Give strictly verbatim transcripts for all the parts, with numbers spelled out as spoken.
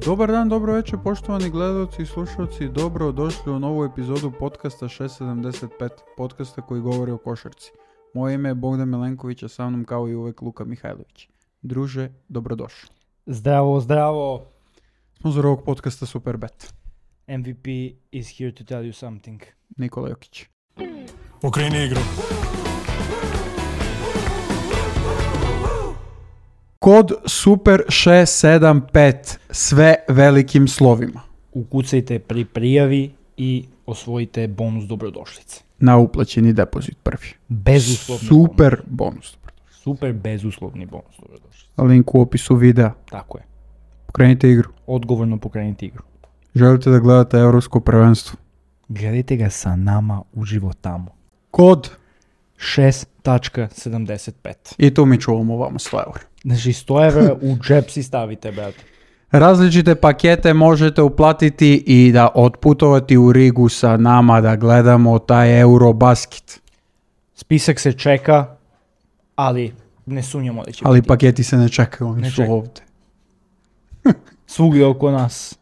Dobar dan, dobro večer, poštovani gledalci i slušalci. Dobro došli u novu epizodu podcasta šest sedamdeset pet, podcasta koji govori o košarci. Moje ime je Bogdan Milenković, a sa mnom kao i uvek Luka Mihajlović. Druže, dobrodošli. Zdravo, zdravo. Sponzor ovog podcasta Superbet. M V P is here to tell you something. Nikola Jokić. Okreni igru. Kod Super šest sedam pet, sve velikim slovima. Ukucajte pri prijavi i osvojite bonus dobrodošlice. Na uplaćeni depozit prvi. Bezuslovni Super bonus. bonus. Super bezuslovni bonus dobrodošlice. Link u opisu videa. Tako je. Pokrenite igru. Odgovorno pokrenite igru. Želite da gledate Evropsko prvenstvo? Gledajte ga sa nama uživo tamo. Kod. šest sedamdeset pet. I tu mi čuvamo vama sto eura. Znači sto evra u džep si stavite, brate. Različite pakete možete uplatiti i da otputovati u Rigu sa nama da gledamo taj Eurobasket. Spisak se čeka, ali ne sumnjamo da će Ali biti. paketi se ne čekaju, oni Ne su čekaju. ovdje. Svugdje oko nas.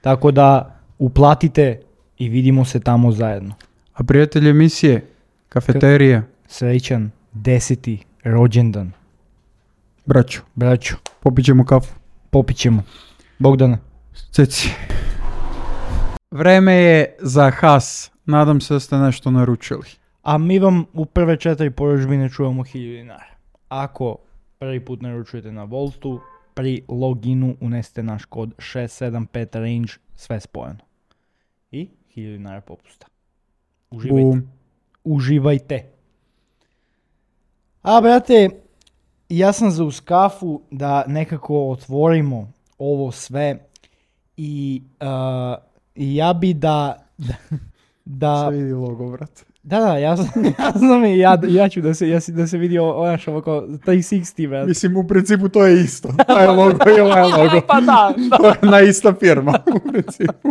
Tako da uplatite i vidimo se tamo zajedno. A prijatelji emisije, kafeterija, Srećan deseti rođendan. braćo, Braćo, popit ćemo kafu. popit ćemo. Bogdane. Ceci. Vreme je za has. Nadam se da ste nešto naručili. A mi vam u prve četiri porudžbine čujemo hiljadu dinara. Ako prvi put naručujete na Voltu, pri loginu unesete naš kod šest sedam pet range, sve spojeno. I hiljadu dinara popusta. Uživajte. Bum. Uživajte. A, brate, ja sam za uz kafu da nekako otvorimo ovo sve i uh, ja bi da... da, da Se vidi logo, brate. Da, da, ja sam, ja sam i ja, ja ću da se, ja si, da se vidi onaš ovako tri šezdeset, brate. Mislim, u principu to je isto. Taj logo i ovaj logo. Pa da, da. To je na ista firma, u principu.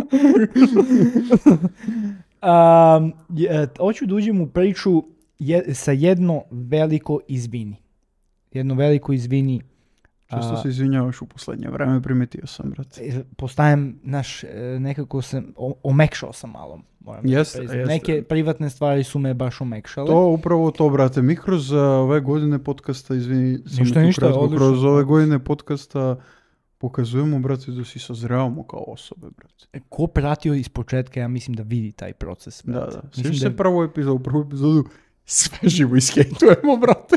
Um, je, hoću da uđem u priču je, sa jedno veliko izvini. Jedno veliko izvini. Često a, se izvinjavaš u poslednje vreme, primetio sam, brate. Postajem, naš, nekako sam, o, omekšao sam malo. Moram Jeste, da jeste. Neke privatne stvari su me baš omekšale. To, upravo to, brate. Mi kroz uh, ove godine podcasta, izvini, sam Ništa, tu ništa, kratko, odlično. kroz ove godine podcasta pokazujemo, brate, da si sazrevamo kao osobe, brate. Ko pratio iz početka, ja mislim da vidi taj proces. Da, brate. da. Mislim Sviš da se prvu epizodu, prvu epizodu sve živo iskejtujemo, brate.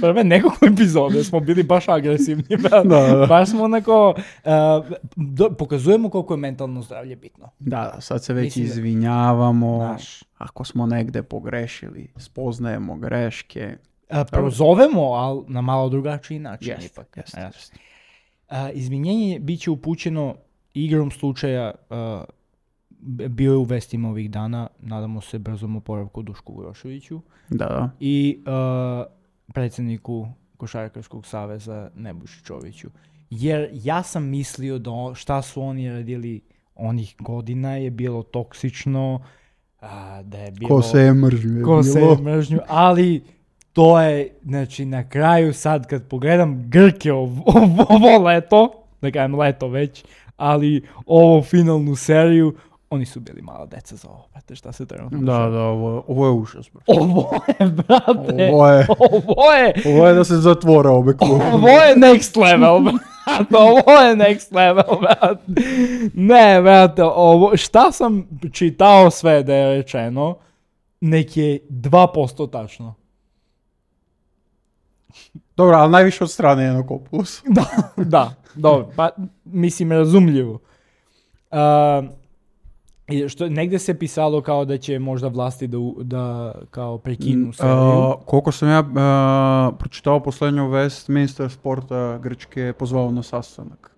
prve nekoliko epizode smo bili baš agresivni. brate. Da, da. Baš smo onako, uh, do, pokazujemo koliko je mentalno zdravlje bitno. Da, da, sad se već Mislim da- izvinjavamo. Znaš. Ako smo negde pogrešili, spoznajemo greške. Uh, prozovemo, ali na malo drugačiji način Jeste, ipak. jeste, Znaš. jeste. Uh, izvinjenje bit će upućeno igrom slučaja, uh, b- bio je u vestima ovih dana, nadamo se brzom oporavku Dušku Groševiću Da, da. i uh, predsjedniku Košarkaškog saveza Nebojši Čoviću. Jer ja sam mislio da o- šta su oni radili onih godina je bilo toksično, a, da je bilo... Ko se je mržio je Ko se bilo. je mržnju, ali to je, znači, na kraju sad kad pogledam Grke ovo, ovo leto, da kažem leto već, ali ovo finalnu seriju, oni su bili mala deca za ovo, brate, šta se trenutno Da, dešava. da, ovo, je- ovo je užas, brate. Ovo je, brate, Ovo je, ovo je, ovo je da se zatvore obe klube. ovo je next level, brate, ovo je next level, brate. Ne, brate, ovo, šta sam čitao sve da je rečeno, nek je dva posto tačno. Dobro, ali najviše od strane Janakopoulos. Da, da, dobro, pa mislim razumljivo. Uh, i što, negdje se pisalo kao da će možda vlasti da, u- da kao prekinu seriju. Uh, koliko sam ja uh, pročitao poslednju vest, ministar sporta Grčke je pozvao na sastanak.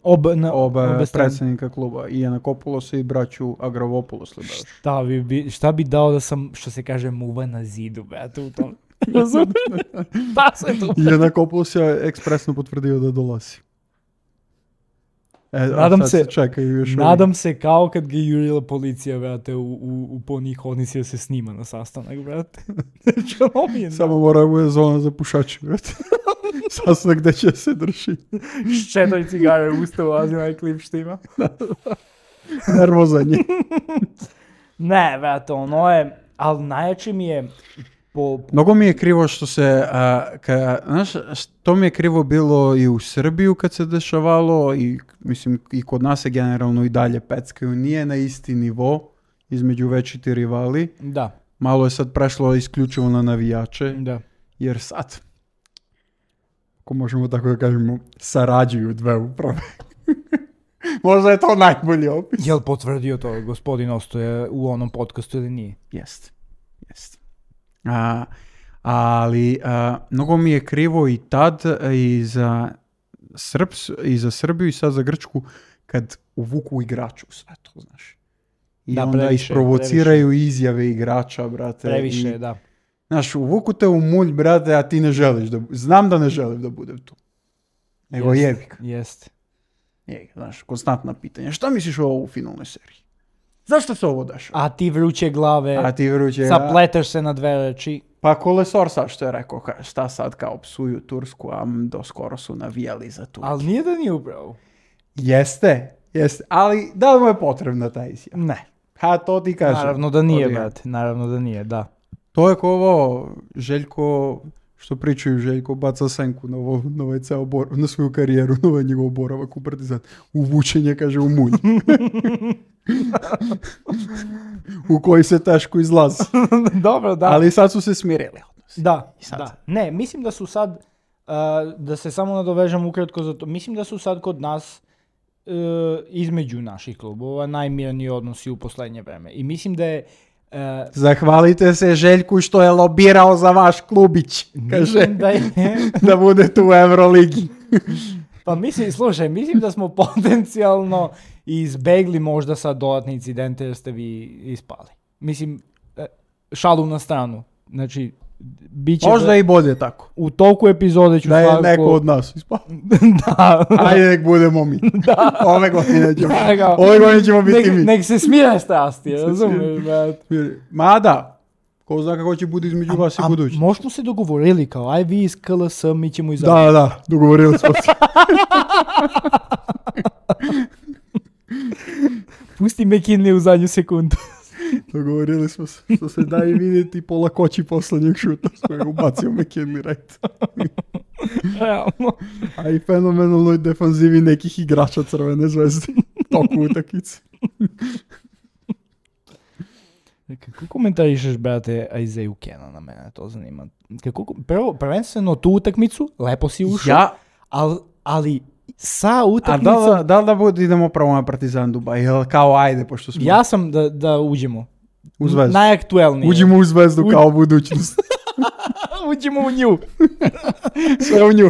Ob, na, Obe obe strane. predsjednika kluba, i Janakopoulos i braću Agravopoulos li baš. Šta bi, bi, šta bi dao da sam, što se kaže, muva na zidu, brate, u tom. Razumiješ? Da se to... I Janakopoulos je ekspresno potvrdio da dolazi. E, a Nadam sad se- čekaju još Nadam se kao kad ga je jurila policija, brate, u, u, u po njih odnisi da se snima na sastanak, brate. Znači, ono mi je... uvijek. Samo mora bude zona za pušače, brate. Sasno gde će se drži. S četiri cigare u usta ulazi na klip štima. Nervozan je. Ne, vrate, ono je, ali najjači mi je po... Mnogo mi je krivo što se, a, ka, znaš, to mi je krivo bilo i u Srbiju kad se dešavalo i mislim i kod nas je generalno i dalje peckaju. Nije na isti nivo između večiti rivali. Da. Malo je sad prešlo isključivo na navijače. Da. Jer sad, ako možemo tako da kažemo, sarađuju dve uprave. Možda je to najbolji opis. Jel potvrdio to gospodin Ostoje u onom podcastu ili nije? Jest, jest. A, ali a, mnogo mi je krivo i tad i za, Srps, i za Srbiju i sad za Grčku kad uvuku igraču sve to, znaš. I da, onda previše, isprovociraju previše. izjave igrača, brate. Previše, i, da. Znaš, uvuku te u mulj, brate, a ti ne želiš da... Znam da ne želim da budem tu. Nego Jest, jebik. Jest. Je, znaš, konstantna pitanja. Šta misliš o ovo u finalnoj seriji? Zašto se ovo dešava? A ti vruće glave, A ti vruće... zapleteš se na dve reči. Pa Kolesor sad što je rekao, ka, šta sad kao psuju Tursku, a do skoro su navijali za Tursku. Ali nije da nije upravo. Jeste, jeste. Ali da li mu je potrebna ta izjava? Ne. Ha, to ti kažem. Naravno da nije, To ti- brate. Naravno da nije, da. To je ko ovo, Željko, što pričaju Željko, baca senku na, ovo, na, ovaj ceo bor, na svoju karijeru, na ovaj njegov boravak u Partizan. Uvučenje, kaže, u mulj. U koji se teško izlazi. Dobro, da. Ali sad su se smirili. Da, sad. da. Ne, mislim da su sad, uh, da se samo nadovežem ukratko za to, mislim da su sad kod nas uh, između naših klubova najmirniji odnosi u poslednje vreme. I mislim da je uh, Zahvalite se Željku što je lobirao za vaš klubić. Kaže, mislim da je, da bude tu u Euroligi. pa mislim, slušaj, mislim da smo potencijalno izbegli možda sad dodatne incidente jer ste vi ispali. Mislim, e, šalu na stranu. Znači, bit će Možda da- i bolje tako. u toku epizode ću Da je svakako... neko od nas ispao. da. Ajde, nek budemo mi. Ove godine ćemo, Da, kao- ove godine ćemo biti nek, mi. nek se smire strasti, razumiješ, brate. Mada, ko zna kako će bude između vas i A budući. možda smo se dogovorili kao, aj vi iz K L S, mi ćemo izabrati. Da, da, dogovorili smo se. Pusti McKinley u zadnju sekundu. Dogovorili smo se. Što se da i vidjeti po lakoći poslednjeg šuta s kojeg ubacio McKinley right. Realno. A i fenomenalnoj defanzivi nekih igrača Crvene zvezde. Toku utakmice. Kako komentarišeš, brate, Isaiah Cannon, na mene to zanima. Kako, prvo, prvenstveno tu utakmicu, lepo si ušao, Ja, ali, ali sa a utakmicom, da, da, da li da bude, idemo prvo na Partizan Dubaj? Jel kao ajde, pošto smo ja sam da, da uđemo. u zvezdu. Najaktuelnije. Uđemo u zvezdu U- kao budućnost. Uđemo u nju. Sve u nju.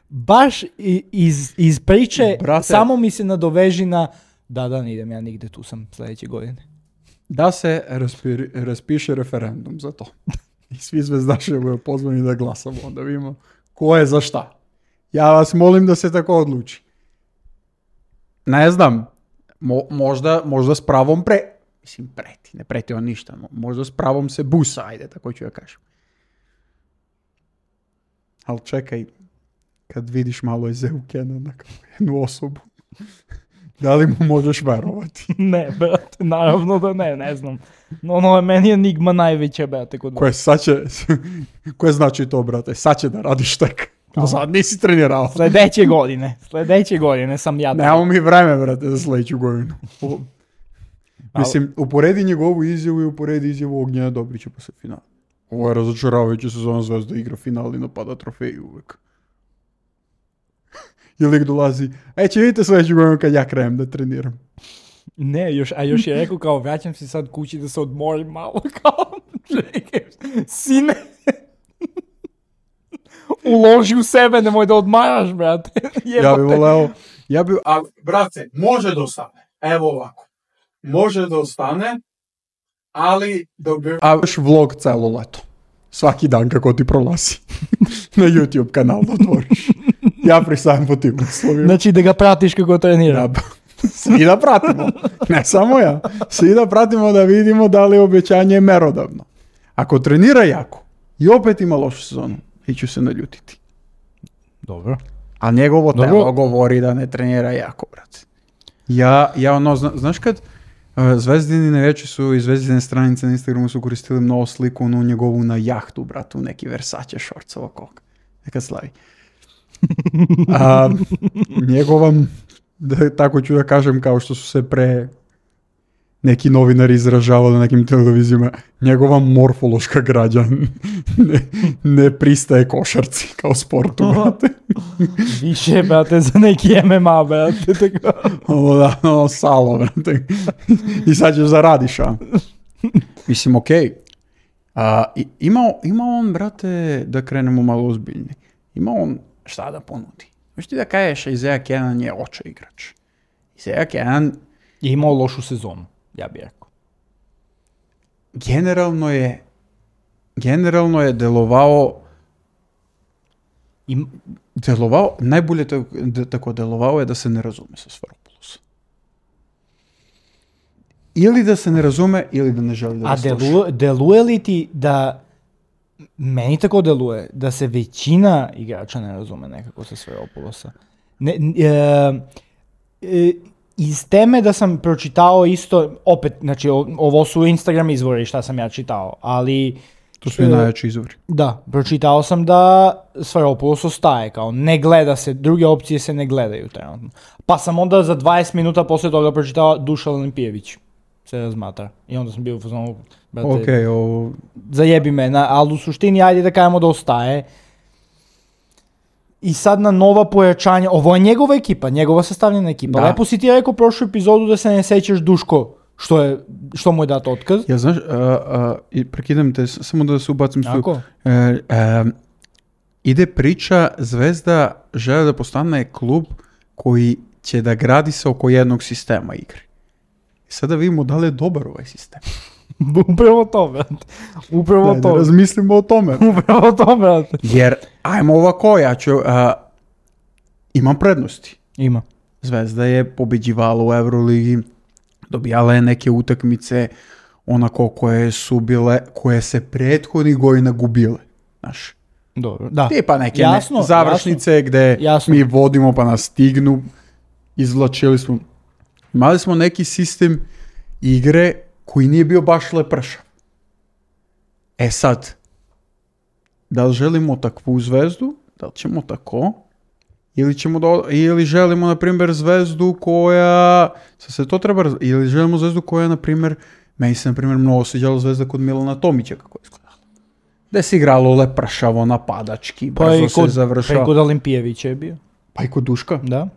Baš i- iz, iz priče, Brate. samo mi se nadoveži na, da, da, ne idem ja nigde, tu sam sljedeće godine. Da se raspiri, raspiše referendum za to. I svi zvezdaši budu pozvani da glasamo. Onda vidimo ko je za šta. Ja vas molim da se tako odluči. Ne znam. Mo, možda, možda s pravom pre... Mislim, preti. Ne preti on ništa. mo- Možda s pravom se busa, ajde, tako ću ja kažem. Ali čekaj, kad vidiš malo Isaiah Cannona kao jednu osobu, da li mu možeš verovati? Ne, brate, naravno da ne, ne znam. No, ono je meni enigma najveća, brate, kod Koje sad će, koje znači to, brate? Sad će da radiš tek. Do sad nisi trenirao. Sljedeće godine, sljedeće godine sam ja. Nemamo mi vreme, brate, za sljedeću godinu. U- Mislim, uporedi njegovu izjavu i uporedi izjavu Ognjena Dobrića posle finala. Ovo je razočaravajuća sezona, Zvezda igra final i napada trofeju uvek. I lik dolazi, e, će vidite sljedeću godinu kad ja krenem da treniram. Ne, još, a još je rekao kao, vraćam se sad kući da se odmorim malo, kao, čekaj, sine, uloži u sebe, nemoj da odmaraš, brate. Ja bi voleo, ja bi, a, brate, može da ostane. Evo ovako. Može da ostane, ali dok bi... A još vlog celo leto. Svaki dan kako ti prolazi. Na YouTube kanal da otvoriš. Ja pristajem po tim uslovima. Znači da ga pratiš kako trenira. Da, svi da pratimo. Ne samo ja. Svi da pratimo da vidimo da li je obećanje merodavno. Ako trenira jako i opet ima lošu sezonu, iću se naljutiti. Dobro. A njegovo Dobro. telo govori da ne trenira jako, brate. Ja, ja ono, zna, znaš kad uh, Zvezdini najveći su i Zvezdine stranice na Instagramu su koristili mnogo sliku onu njegovu na jahtu, bratu, neki Versace shorts ovako. Neka slavi. A, njegova, da, tako ću da kažem, kao što su se pre neki novinari izražavali na nekim televizijama, njegova morfološka građa ne, ne pristaje košarci kao sportu, brate. Više, brate, za neki M M A, brate. Tako. Ovo da, ono salo, brate. I sad ćeš zaradiš, a? Mislim, okej. Okay. A, ima, ima on, brate, da krenemo malo ozbiljni. Ima on šta da ponudi. Možeš ti da kažeš, Isaiah Canaan je oče igrač. Isaiah Canaan Je imao lošu sezonu, ja bih rekao. generalno je generalno je delovao Im, delovao, najbolje tako, tako delovao je da se ne razume sa Sfairopoulosom. Ili da se ne razume, ili da ne želi da a ga sluša. deluje, deluje li ti da, meni tako deluje, da se većina igrača ne razume nekako sa Sfairopoulosa? Ne, e, e, iz teme da sam pročitao isto, opet, znači o- ovo su Instagram izvori šta sam ja čitao, ali To su i e, najjači izvori. da, pročitao sam da Sfairopoulos ostaje, kao ne gleda se, druge opcije se ne gledaju trenutno. Pa sam onda za dvadeset minuta posle toga pročitao Dušan Olimpijević se razmatra. I onda sam bio u fazonu, brate, Okej, ovo... zajebi me, na, ali u suštini ajde da kažemo da ostaje. I sad na nova pojačanja, ovo je njegova ekipa, njegova sastavljena ekipa. Da. Lepo si ti rekao prošlu epizodu da se ne sećaš Duško, što, je, što mu je dat otkaz. Ja, znaš, a, a, i prekidam te, s- samo da se ubacim tu. Tako? E, e, ide priča, Zvezda žele da postane klub koji će da gradi se oko jednog sistema igre. I sada vidimo da li je dobar ovaj sistem. Upravo to, brate. Upravo Daj da to. razmislimo o tome. Upravo to, brate. Jer, ajmo ovako, ja ću, a, imam prednosti. Ima. Zvezda je pobeđivala u Euroligi, dobijala je neke utakmice onako koje su bile, koje se prethodnih godina gubile. Znaš, Dobro. Da. tipa neke Jasno, ne, završnice gde Jasno. mi vodimo pa nas stignu, izvlačili smo. Imali smo neki sistem igre koji nije bio baš lepršav. E sad, da li želimo takvu Zvezdu, da li ćemo tako, ili, ćemo da, ili želimo, na primjer, Zvezdu koja, sad se to treba, raz- ili želimo Zvezdu koja, na primjer, meni se, na primjer, mnogo sviđala Zvezda kod Milana Tomića, kako je izgledala. Gde se igralo lepršavo, napadački, Pa brzo i se kod, pa i završava. kod Olimpijevića je bio. Pa i kod Duška. Da.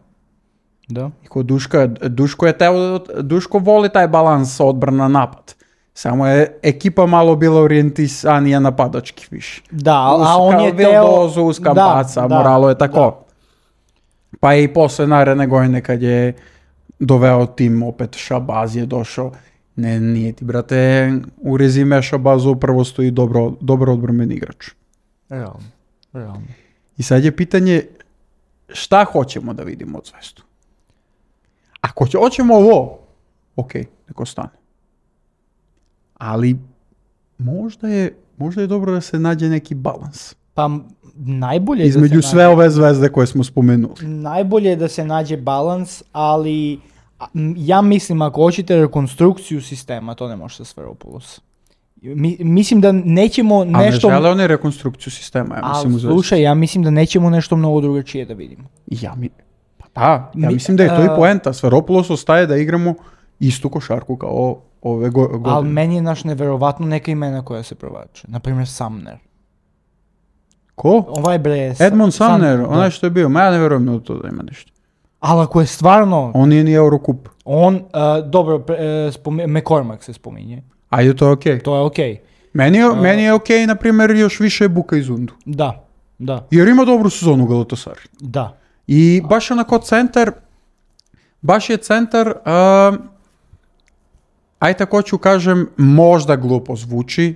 Da. I kod Duška, Duško je teo, Duško voli taj balans odbrana napad. Samo je ekipa malo bila orijentisanija napadački više. Da, a Uz- on kao je Vildozu, teo... uz Kampaca, Da, Moralo je da, tako. Pa i posle naredne godine kad je doveo tim, opet Šabaz je došao. Ne, nije ti, brate, u rezime Šabazu upravo stoji dobro, dobro odbrambeni igrač. Realno. Realno. I sad je pitanje šta hoćemo da vidimo od Zvezdu. Ako će, hoćemo ovo, ok, neko stane. Ali možda je, možda je dobro da se nađe neki balans Pa m- najbolje je između da se sve ove Zvezde koje smo spomenuli. nađe, najbolje je da se nađe balans, ali a, m, ja mislim ako hoćete rekonstrukciju sistema, to ne može sa Sfairopoulos. Mi, mislim da nećemo A nešto... ne žele oni rekonstrukciju sistema, ja mislim, Ali u Zvezdi. slušaj, ja mislim da nećemo nešto mnogo drugačije da vidimo. Ja mi, pa da, ja Mi- mislim da je to i a- poenta. Sfairopoulos ostaje da igramo istu košarku kao ove go- godine. Ali meni je naš neverovatno neka imena koja se provlače. Naprimjer Sumner. Ko? Ovaj bre... Sa- Edmond Sam- Sumner, da. onaj što je bio. Ma ja ne verujem na to da ima nešto. Ali ako je stvarno... On nije ni Eurocup. On, uh, dobro, pre- uh, spomi- McCormack se spominje. Ajde, to je okej. To je okej. Meni je, meni je okej, na primjer, još više Buka iz Undu. Da, da, Jer ima dobru sezonu u Galatasaraju. da. I baš onako centar, baš je centar, uh, aj tako ću kažem, možda glupo zvuči,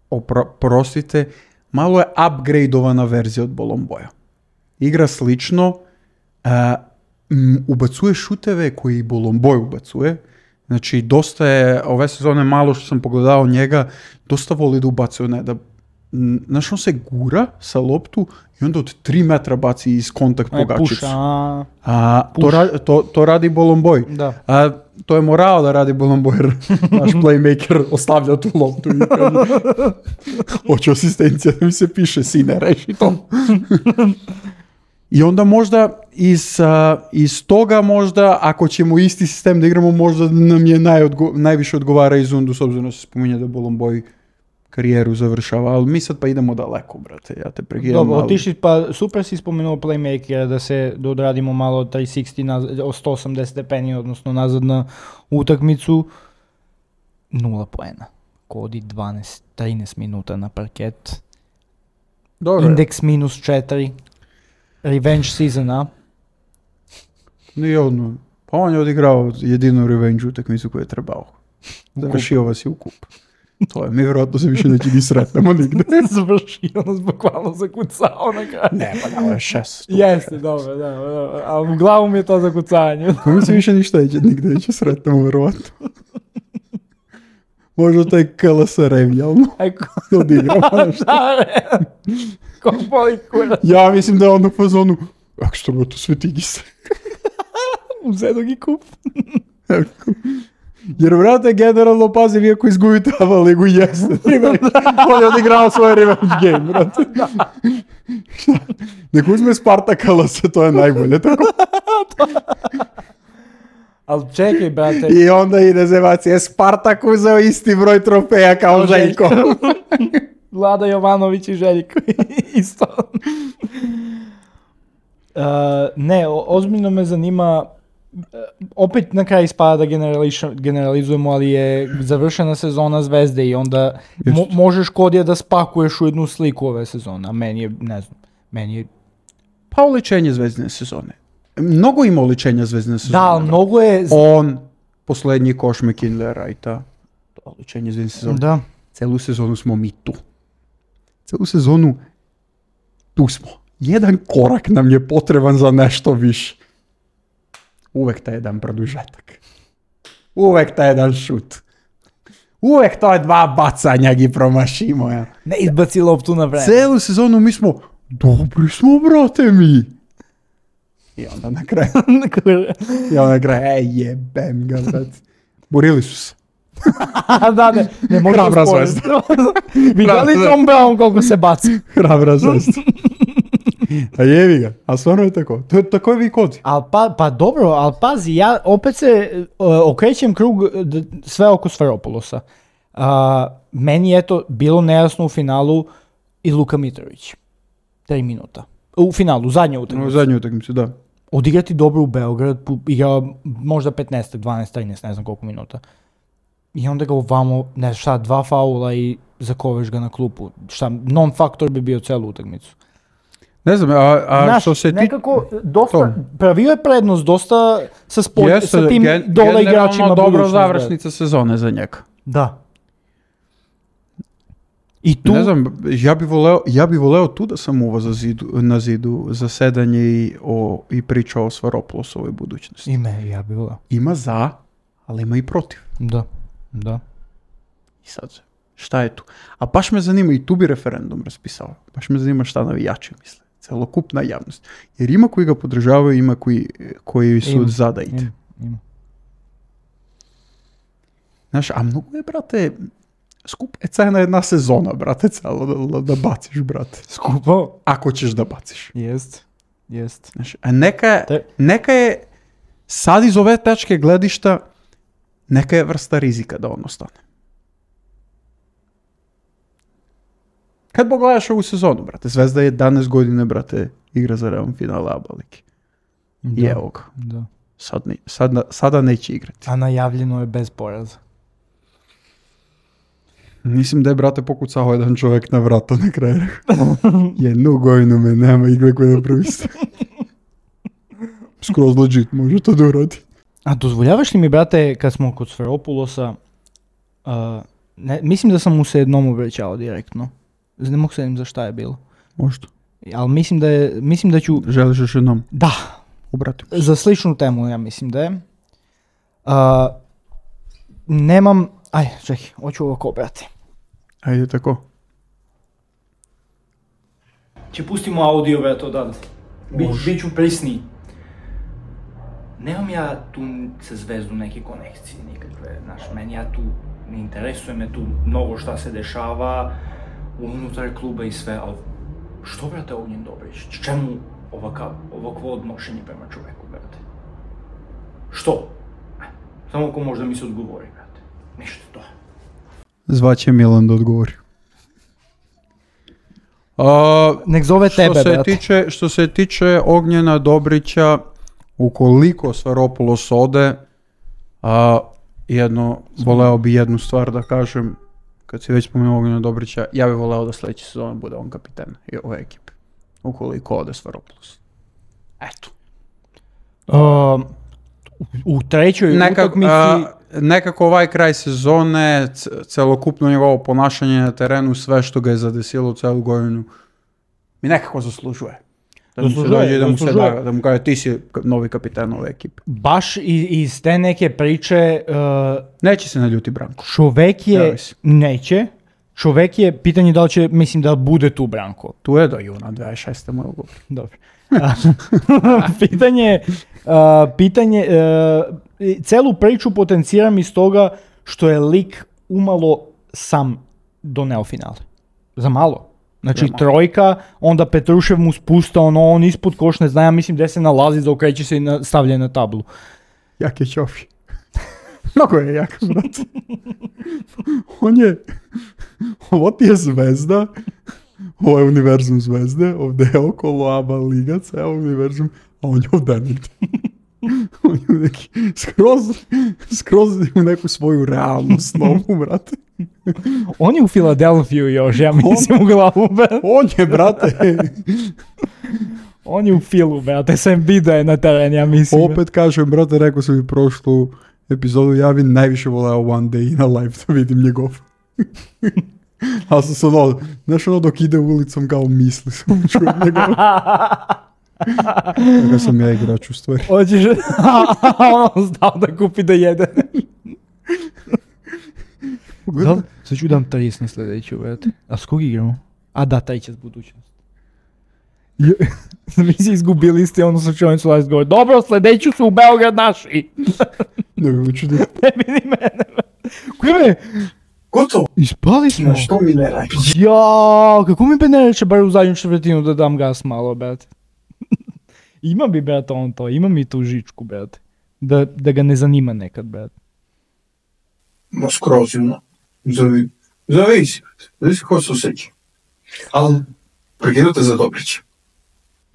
opro, prostite, malo je upgradeovana verzija od Bolomboja. Igra slično, uh, m, ubacuje šuteve koji Bolomboj ubacuje. Znači, dosta je, ove sezone malo što sam pogledao njega, dosta voli da ubacuje, ne, da znaš, on se gura sa loptu i onda od tri metra baci iz kontakt pogačicu. A, A to, ra- to, to radi Bolomboj. da. A to je morao da radi Bolomboj, jer naš playmaker ostavlja tu loptu i kaže hoću asistencija da mi se piše, sine, reši to. I onda možda iz, uh, iz toga možda, ako ćemo isti sistem da igramo, možda nam je najodgo- najviše odgovara iz Undu, s obzirom da se spominje da Bolomboj karijeru završava, ali mi sad pa idemo daleko, brate, ja te prekidam. Dobro, ali... otišli, pa super si spomenuo playmakera, da se da odradimo malo tri šezdeset naz- o sto osamdeset stepeni, odnosno nazad na utakmicu. Nula poena. Kodi dvanaest trinaest minuta na parket. Dobro, Indeks minus četiri. Revenge season, a? nije ono, pa on je odigrao jedinu revenge utakmicu koju je trebao. Završio vas je u kup. To je, mi vjerojatno se više neće ni sretnemo nigde. Završio nas, bukvalno zakucao na kraju. Ne, pa da, ovo je šest. Jeste, dobro, da, da, ali u glavu mi je to zakucanje. Pa mi se više ništa neće, nigde neće sretnemo, vjerojatno. Možda taj K L S revijalno Eko, odigrao nešto. da, ne. Ko boli kurac. Ja mislim da je on u fazonu, ako što bi to sve tigi se. Uzedo gi kup. Jer, vrate, generalno, pazi, vi ako izgubite ava ligu, jeste. On je odigrao svoj revenge game, vrate. Nek uzme Sparta K L S, to je najbolje, tako. Ali čekaj, brate. I onda ide zevac, je Spartak uzeo isti broj trofeja kao Željko. Vlada Jovanović i Željko isto. Uh, ne, o- ozbiljno me zanima, uh, opet na kraju ispada da generališ- generalizujemo, ali je završena sezona Zvezde i onda mo- možeš Kodija da spakuješ u jednu sliku ove sezone, a meni je, ne znam, meni je... Pa oličenje zvezdine sezone. Mnogo ima oličenja zvezdine sezone. Da, ali mnogo je... z- On, posljednji koš McKinley Wrighta, to je oličenje zvezdine sezone. Da. Celu sezonu smo mi tu. Celu sezonu tu smo. Jedan korak nam je potreban za nešto više. Uvek taj jedan produžetak. Uvek taj jedan šut. Uvek to je dva bacanja gi promašimo. Ja. Ne izbaci loptu na vreme. Celu sezonu mi smo, dobri smo, brate, mi. I onda na kraju, i onda na kraju, ej, jebem ga, brate. Borili su se. da, ne, ne možemo Hrabra spojiti. Zvezda. Vidjeli Hrabra- Tom Brown koliko se baci. Hrabra Zvezda. A jevi ga, a stvarno je tako. To je, tako je vi kod. Al pa, pa dobro, ali pazi, ja opet se uh, okrećem krug d- sve oko Sferopoulosa. Uh, meni je to bilo nejasno u finalu i Luka Mitrović. Tri minuta. U finalu, u zadnje U utakmice. zadnjoj utakmici, da. Odigrati dobro u Beograd, pu- igrao možda petnaest, dvanaest, trinaest, ne znam koliko minuta. I onda ga ovamo, ne znam šta, dva faula i zakoveš ga na klupu. Šta, non-faktor bi bio celu utakmicu. Ne znam, a, a Znaš, što se ti... nekako dosta, to. pravio je prednost dosta sa, spod, Jeste, sa tim gen- dole generalno igračima dobro budućnost, završnica sezone za njega. Da. I tu, Ne znam, ja bi voleo, ja bi voleo tu da sam uvo za zidu, na zidu za sedanje i, o, i pričao o Svaropoulosovoj budućnosti. ime, ja bi volao. Ima za, ali ima i protiv. Da, da. I sad, šta je tu? A baš me zanima, i tu bi referendum raspisao, baš me zanima šta navijači misle, celokupna javnost. Jer ima koji ga podržavaju, ima koji, koji su Ima, za da ide. Ima, ima. Znaš, a mnogo je, brate, skup je cena jedna sezona, brate, celo da, da baciš, brate. Skupo? Ako ćeš da baciš. Jest, jest. Znaš, a neka, Te- neka je, sad iz ove tačke gledišta, neka je vrsta rizika da on ostane. Kad pogledaš ovu sezonu, brate, Zvezda je jedanaest godine, brate, igra za Real finale A B A lige. I Da, evo ga, da. sad ne, sad, sada neće igrati. A najavljeno je bez poraza. Mislim da je, brate, pokucao jedan čovjek na vrata na kraju. Jednu godinu me nema igre koje napravi se. Skroz legit, može to da uradi. A dozvoljavaš li mi, brate, kad smo kod Sferopoulosa, uh, ne, mislim da sam mu se jednom obraćao direktno. Ne mogu se jednom za šta je bilo. Možda. Ali mislim da je, mislim da ću, Želiš još jednom? da, Obratim. za sličnu temu ja mislim da je. Uh, nemam, aj, čekaj, hoću ovako, brate. Ajde tako. Će pustimo audio, brate, odavde. Bi, Biću prisniji. Nemam ja tu sa Zvezdu neke konekcije nikakve, znaš, meni ja tu, ne interesuje me tu mnogo šta se dešava unutar kluba i sve, ali što, brate, Ognjen Dobrić, čemu ovakav, ovakvo odnošenje prema čoveku, brate? Što? Samo ko možda mi se odgovori, brate, ništa to. Zvaće Milan da odgovori. Uh, Nek zove tebe, što se brate. tiče, što se tiče Ognjena Dobrića, ukoliko Svaropoulos ode, a jedno, voleo bi jednu stvar da kažem, kad si već spomenuo Ognjena Dobrića, ja bih voleo da sljedeće sezone bude on kapiten i ove ekipe, ukoliko ode Svaropoulos. Eto. Uh, u trećoj Nekak, utakmici... a, nekako ovaj kraj sezone, c- celokupno njegovo ponašanje na terenu, sve što ga je zadesilo celu godinu, mi nekako zaslužuje. Da mu se Zaslužuje, dođe i da mu se zaslužuje. da, da mu kaže ti si ka- novi kapitan ove ekipe. Baš iz, iz te neke priče, uh, Neće se naljuti Branko. čovek je, Zavisi. neće, čovek je, pitanje da li će, mislim da bude tu Branko. Tu je do juna dvadeset šeste moj ugovor. Dobro. pitanje, uh, pitanje, uh, celu priču potenciram iz toga što je lik umalo sam doneo finale. Za malo. Znači Za malo. trojka, onda Petrušev mu spusta ono, on ispod koš, ne znam, ja mislim gde se nalazi, zaokreće se i na, stavlja na tablu. Jak je Ćofi. Mnogo je jak, brat. On je... Ovo ti je zvezda. Ovo je univerzum zvezde. Ovdje je okolo A B A liga, ceo univerzum. A on je ovdje negdje. On je u neki... Skroz... Skroz u neku svoju realnu snovu, brate. On je u Filadelfiju još, ja mislim u glavu, brate. On je, brate... On je u Filu, brate, sam video je na teren, ja mislim. Opet kažem, brate, rekao sam i prošlu epizodu, ja bi najviše voleo One Day na live da vidim njegov. Ali sam se ono, znaš ono dok ide ulicom kao misli, sam čujem njegov. Kada sam ja igrač u stvari. Hoćeš, on znao da kupi da jede. Da, sad ću dam trideset na sljedeću, brate. A s kog igramo? A da, taj će s budućnost. Mi si izgubili ste, ono slučajnicu last govori. Dobro, sljedeću su u Beograd naši. Ne bi mi čudi. Ne vidi mene. Koje? Gotovo. Ispali smo. Na što mi ne reći? Ja, kako mi be ne reče bar u zadnju četvrtinu da dam gas malo, brate. Ima bi, brate, on to, ima mi tu žičku, brate. Da, da ga ne zanima nekad, brate. Ma skroz, ono. Zavi... Zavisi, zavisi ko se osjeća. Ali, prekidate za Dobrića.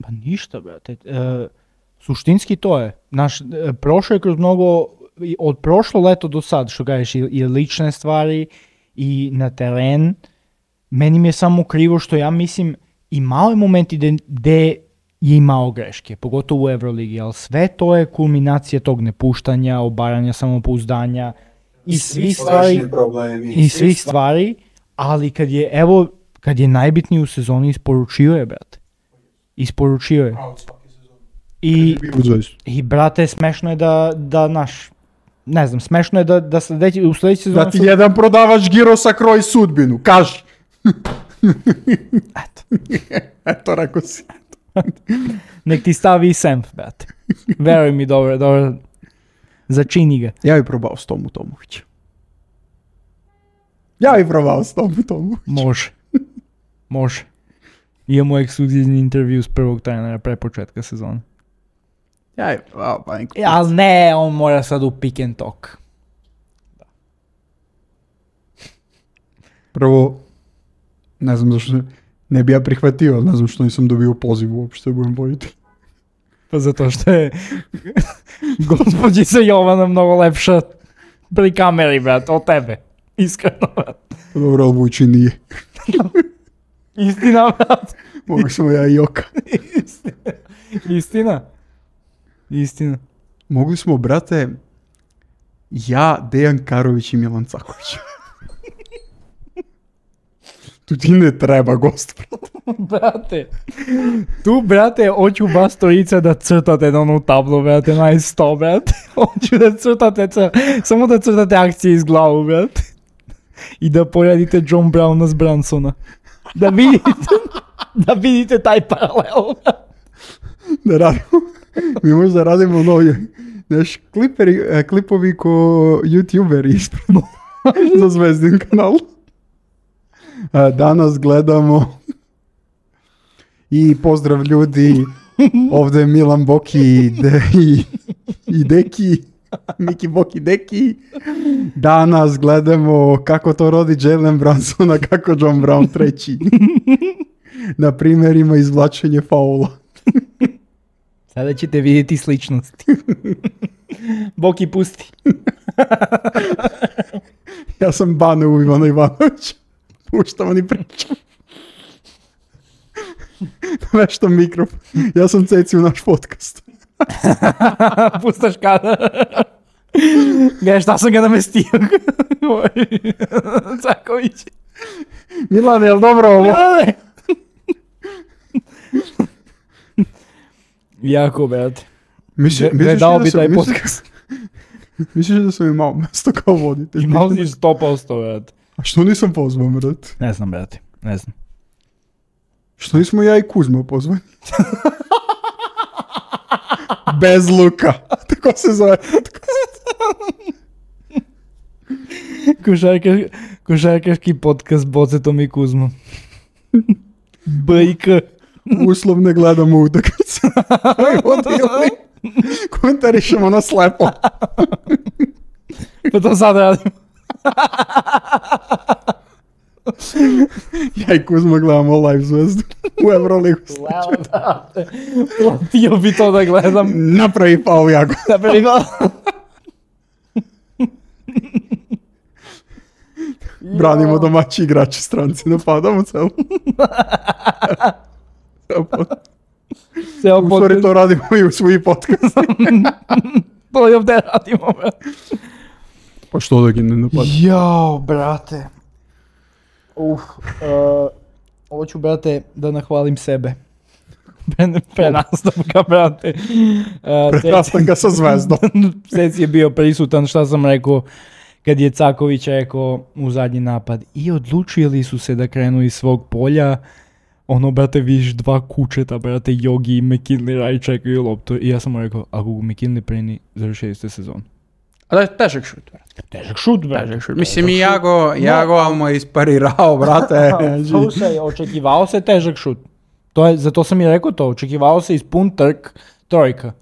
Pa ništa, brate. E, suštinski to je. Naš, e, prošlo je kroz mnogo, i od prošlo leto do sad, što kažeš, i, i lične stvari, i na teren. Meni mi je samo krivo što ja mislim, i mali momenti gde, gde je imao greške, pogotovo u Euroligi, ali sve to je kulminacija tog nepuštanja, obaranja samopouzdanja i svih stvari, problemi. i svih stvari, ali kad je, evo, kad je najbitniji u sezoni, isporučio je, brate. Isporučio je. I, i brate, smešno je da, da naš, ne znam, smešno je da, da sledeći, u sledeći sezoni... Da ti jedan prodavač girosa kroji sudbinu, kaži. Eto. Eto, rekao si. Nek ti stavi i Senf, brate. Veruj mi, dobro, dobro. Začini ga. Ja bi probao s Tomu Tomovića. Ja bi probao s Tomu Tomovića. Može. Može. Imamo ekskluzizni intervju s prvog trenera pre početka sezona. Ja bi probao, pa neko. E, ali ne, on mora sad u pick and talk. Prvo, ne znam zašto, ne bi ja prihvatio, ne znam što nisam dobio poziv uopšte, budem voditi. Pa zato što je gospođica Jovana mnogo lepša pri kameri, brate, od tebe. Iskreno, brate. Dobro, ali Vujči nije. Istina, brate. Mogu sam ja i Joka. Istina. Istina. Istina. Mogli smo, brate, ja, Dejan Karović i Milan Caković. Tu ti ne treba gost, brate. Brate, tu, brate, hoću vas trojica da crtate na onu tablu, brate, na sto, brate. Hoću da crtate, cr... samo da crtate akcije iz glavu, brate. I da poradite John Browna s Bransona. Da vidite. Da vidite taj paralel. Da radimo. Mi možda radimo novi. Znaš, kliperi, e, klipovi ko youtuberi ispred za Zvezdin kanal. E, danas gledamo i pozdrav ljudi. Ovdje je Milan Boki i, de, i, i Deki. Miki Boki Deki. Danas gledamo kako to rodi Jalen Brunson, a kako John Brown treći. Na primjerima izvlačenje faula. Sada ćete vidjeti sličnosti. Boki pusti. Ja sam Bane u Ivana Ivanovića. Puštamo ni pričam. Nešto mikrofon. Ja sam Ceci u naš podcast. Pustaš kada. Gledaj šta sam ga namestio. Caković. Milan, je li dobro ovo? Milane. Jako, brate. Misli, Gledao bi da sam, taj misliš, podcast. misliš da sam imao mjesto kao voditelj? Imao si sto posto, brate. A što nisam pozvan, brate? Ne znam, brate. Ne znam. Što nismo ja i Kuzma pozvani? Bez luka. Tako se zove. Košarkaš, košarkaški podcast Bocetom i Kuzmom. B i K. Uslovne gledamo utakmice. Odili. Komentarišemo na slepo. Pa to sad radimo. Ja i Kuzma gledamo live Zvezdu u Euroligu. Htio bi to da gledam. Napravi faul jako. Napravi faul. Branimo domaći igrači, stranci napadamo celo. U stvari to radimo i u svoji podcast. To i ovdje radimo, brate. Pa što da gi ne napadamo? Jao, brate. Uf, uh, hoću, brate, da nahvalim sebe. Pre, pre nastavka, brate. Uh, Pre nastavka sa Zvezdom. Ceci je bio prisutan, šta sam rekao, kad je Caković rekao u zadnji napad. I odlučili su se da krenu iz svog polja. Ono, brate, vidiš dva kučeta, brate, Jogi i McKinley radi čekaju loptu. I ja sam mu rekao, ako go McKinley preni, završili ste sezon. A da je težak šut, brate. Težak šut, brate. Težak šut. Mislim i ja go, ja go no. mu je isparirao, brate. Slušaj, očekivao se težak šut. To je, zato sam i rekao to, očekivao se ispun trk trojka.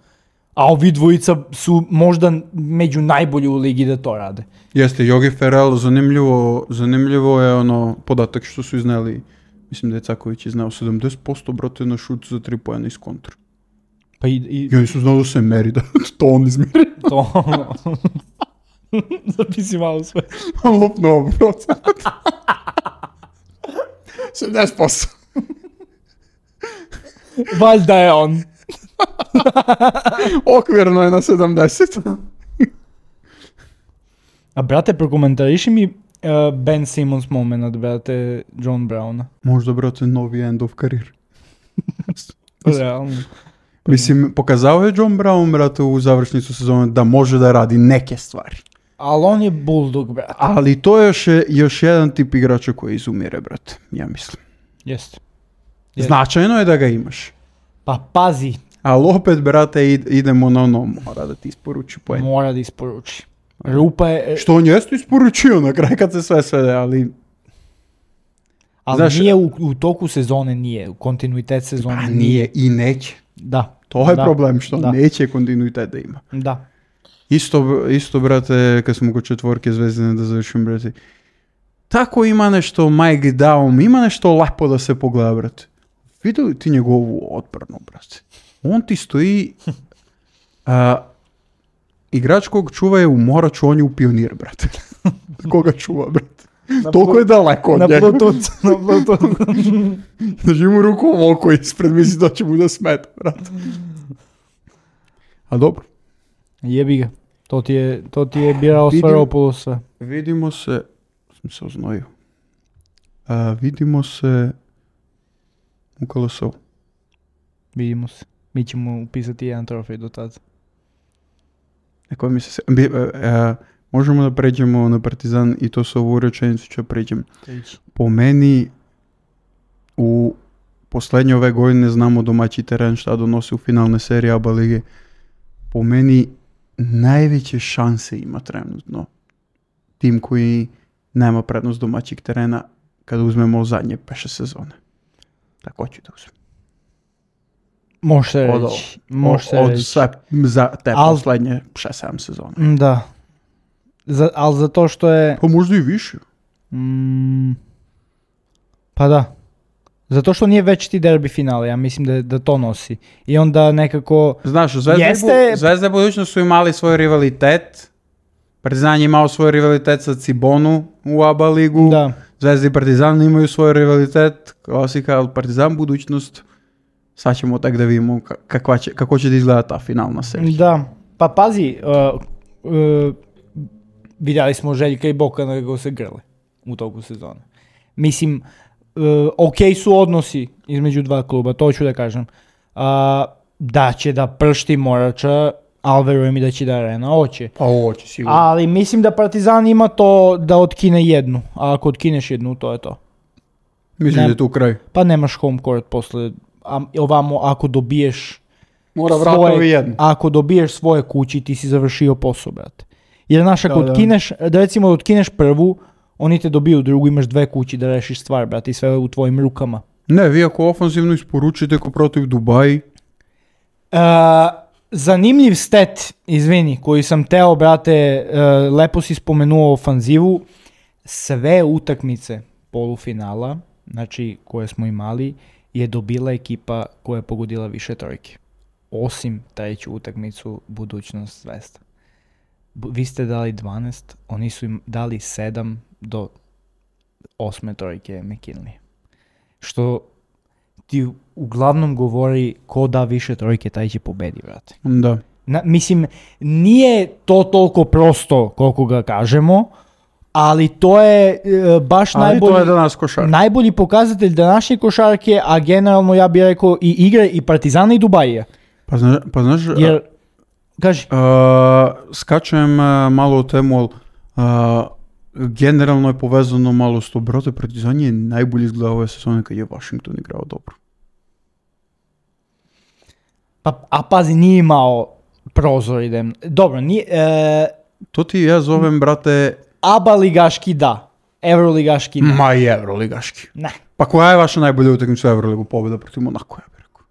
A ovi dvojica su možda među najbolji u ligi da to rade. Jeste, Jogi Ferrell, zanimljivo, zanimljivo je ono podatak što su izneli, mislim da je Caković iznao sedamdeset posto brate na šut za tri pojena iz kontra. Pa i, i... I oni su znali da se meri, da to on izmeri. To ono. Zapisi malo sve. On lupnuo procent. sedamdeset posto. Valjda je on. Okvirno je na sedamdeset. A brate, prokomentariši mi uh, Ben Simmons moment, brate, John Browna. Možda, brate, novi end of career. Realno. Mislim, pokazao je John Brown, brate, u završnicu sezone da može da radi neke stvari. Ali on je bulldog, brate. Ali to je još, još jedan tip igrača koji izumire, brate, ja mislim. Jeste. Jest. Značajno je da ga imaš. Pa pazi. Ali opet, brate, idemo na ono, mora da ti isporuči poen. Mora da isporuči. Rupa je... Što on jeste isporučio na kraj kad se sve svede, ali... Ali znaš, nije u, u toku sezone, nije. U kontinuitet sezone pa nije. nije i neće. Da. To je da. problem, što da. neće kontinuitet da ima. Da. Isto, isto, brate, kad smo kod četvorke Zvezdine da završim, brate. Tako ima nešto Mike Daum, ima nešto lepo da se pogleda, brate. Vidio ti njegovu odbranu, brate. On ti stoji... A, igrač kog čuva je u Moraču, on je u Pionir, brate. Koga čuva, brate. Na toliko pl- je daleko od na njega. Bluetooth, na Bluetooth. Drži mu ruku oko ispred, misli da će mu da smeta, brate. A dobro. Jebi ga. To ti je, to ti je birao Svaropoulos sve. Vidimo se... Sam se oznojio. A, vidimo se u Kolosovu. Vidimo se. Mi ćemo upisati jedan trofej do tada. Neko mi se... Bi, a, a, možemo da pređemo na Partizan i to sa ovu rečenicu ću pređem. Po meni u Последнje ove godine znamo domaći teren šta donosi u finalne serije A B A lige. Po meni najveće šanse ima trenutno tim koji nema prednost domaćeg terena kada uzmemo zadnje peše sezone. Tako ću da uzmem. Može se Od, reći. Može se od reći. sve za te Al- poslednje šest sedam sezone. Da. Za, ali zato što je... Pa možda i više. Mm, pa da. Zato što nije već ti derbi finale, ja mislim da, da to nosi. I onda nekako... Znaš, Zvezda, Jeste- i Bu- Zvezda i budućnost su imali svoj rivalitet. Partizan je imao svoj rivalitet sa Cibonu u A B A ligu. Da. Zvezda i Partizan imaju svoj rivalitet. Klasika, ali Partizan budućnost. Sad ćemo tak da vidimo ka- kakva će, kako će da izgleda ta finalna serija. Da. Pa pazi, uh, uh, vidjeli smo Željka i Bokana kako se grle u toku sezone. Mislim, uh, ok su odnosi između dva kluba, to ću da kažem. Uh, da će da pršti Morača, ali verujem i da će da Arena hoće. Pa ovo će sigurno. Ali mislim da Partizan ima to da otkine jednu, a ako otkineš jednu, to je to. Mislim ne- da je tu kraj. Pa nemaš home court posle, a ovamo ako dobiješ Mora svoje- vratovi jedno. ako dobiješ svoje kući, ti si završio posao, brate. Jer znaš, ako Da, da. otkineš, da recimo da otkineš prvu, oni te dobiju drugu, imaš dve kući da rešiš stvar, brate, i sve u tvojim rukama. Ne, vi ako ofanzivno isporučite ko protiv Dubaji, Uh, zanimljiv stat, izvini, koji sam teo, brate, uh, lepo si spomenuo ofanzivu, sve utakmice polufinala, znači koje smo imali, je dobila ekipa koja je pogodila više trojke. Osim treću utakmicu budućnost Zvezda. Bu- vi ste dali dvanaest, oni su im dali sedam do osme trojke McKinley. Što ti uglavnom govori ko da više trojke, taj će pobedi, brate. da. Na, mislim, nije to toliko prosto koliko ga kažemo, ali to je e, baš Ali najbolji, to je danas košar. najbolji pokazatelj današnje košarke, a generalno ja bih rekao i igre i Partizana i Dubajija. Pa, zna, pa znaš, Jer, kaži, a, skačem a, malo u temu, ali a, generalno je povezano malo s to, brate, Partizan je najbolji izgledao ove sezone kad je Washington igrao dobro. pa, a pazi, nije imao prozor, idem. Dobro, nije, e, To ti ja zovem, brate, A B A ligaški da, Euroligaški ne. ma i Euroligaški. Ne. Pa koja je vaša najbolja utakmica u Euroligu? Pobjeda protiv Monako, ja bih rekao.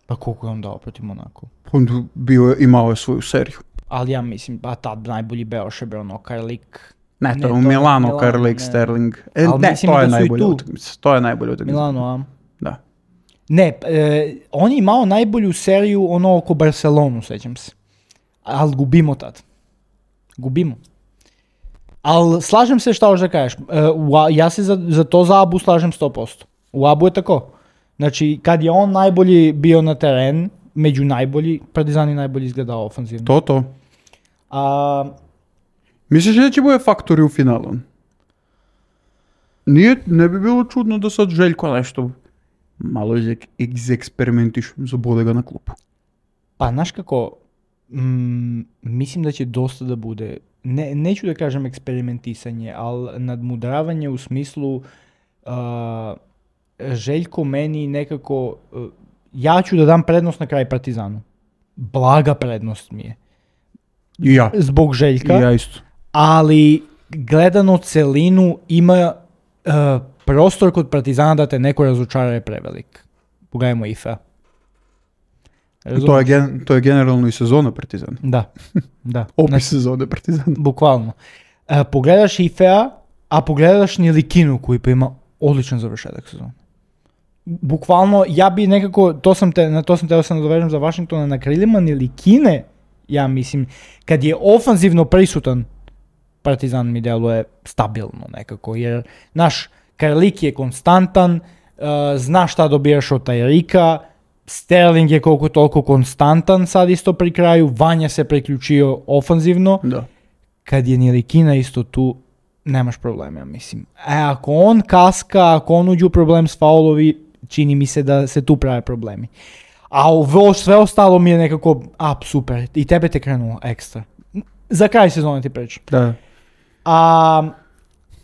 Pa koliko je on dao protiv Monaco? On bio je, imao je svoju seriju. Ali ja mislim, pa tad najbolji Beoš je bio ono Karlik. Ne, Ne, to je u to je Milano, Milano, Karlik, ne. Sterling. E, Ali ne, mislim to je da su i najbolja tu. utakmica. To je najbolja utakmica. Milano, a? Da. Ne, e, on je imao najbolju seriju ono oko Barcelonu, sećam se. Ali gubimo tad. Gubimo. Ali slažem se šta hoćeš da kažeš. E, u A- ja se za, za to za Abu slažem sto posto. U Abu je tako. Znači, kad je on najbolji bio na teren, među najbolji, Partizan je najbolji izgledao ofanzivno. To, to. A, Misliš da će bude faktori u finalu? Nije, ne bi bilo čudno da sad Željko nešto malo izek- izeksperimentiš, zabode ga na klupu. Pa, znaš kako, mm, mislim da će dosta da bude, ne, neću da kažem eksperimentisanje, ali nadmudravanje u smislu uh, Željko meni nekako, uh, ja ću da dam prednost na kraj Partizanu. Blaga prednost mi je. I ja. Zbog Željka, I ja isto. ali gledano celinu ima uh, prostor kod Partizana da te neko razočara je prevelik. Pogledajmo I F A. To je, gen, to je generalno i sezona Partizana. Da, da. Opis Znači, sezone Partizana. bukvalno. E, pogledaš I F A, a pogledaš Nilikinu koji pa ima odličan završetak sezona. Bukvalno, ja bi nekako, to sam te, na to sam teo sam nadovežem za Washingtona, na krilima Nilikine, ja mislim, kad je ofanzivno prisutan, Partizan mi deluje stabilno nekako, jer naš Karlik je konstantan, uh, zna šta dobijaš od Tajrika, Sterling je koliko toliko konstantan sad isto pri kraju, Vanja se priključio ofanzivno, Da. kad je Nilikina isto tu, nemaš problema, ja mislim. E, ako on kaska, ako on uđe u problem s faulovi, čini mi se da se tu prave problemi. A ovo sve ostalo mi je nekako, a super, i tebe te krenulo ekstra. Za kraj sezone ti pričam. Da. A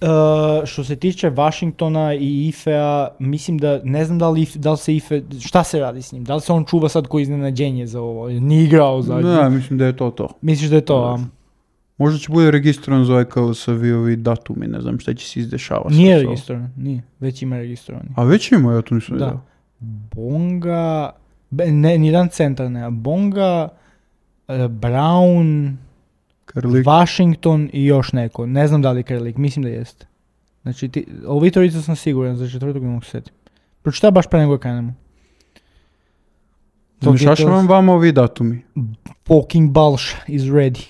uh, što se tiče Washingtona i Ifea, mislim da, ne znam da li, da li se Ife, šta se radi s njim? Da li se on čuva sad ko iznenađenje za ovo? Nije igrao zadnji. Ne, mislim da je to to. Misliš da je to? A? Možda će bude registrovan za ovaj K L S V ovi datumi, ne znam šta će se izdešavati. Nije registrovan, nije. Već ima registrovan. A već ima, ja to nisam da. vidio. Bonga, ne, nijedan centar ne, Bonga, uh, Brown, Krlik. Washington i još neko. Ne znam da li Krlik, mislim da jeste. Znači, ti, ovi trojica sam siguran, za četvrtog ne mogu setim. Pročitaj baš pre nego krenemo. Zašašavam vam ovi datumi. Poking Balša is ready.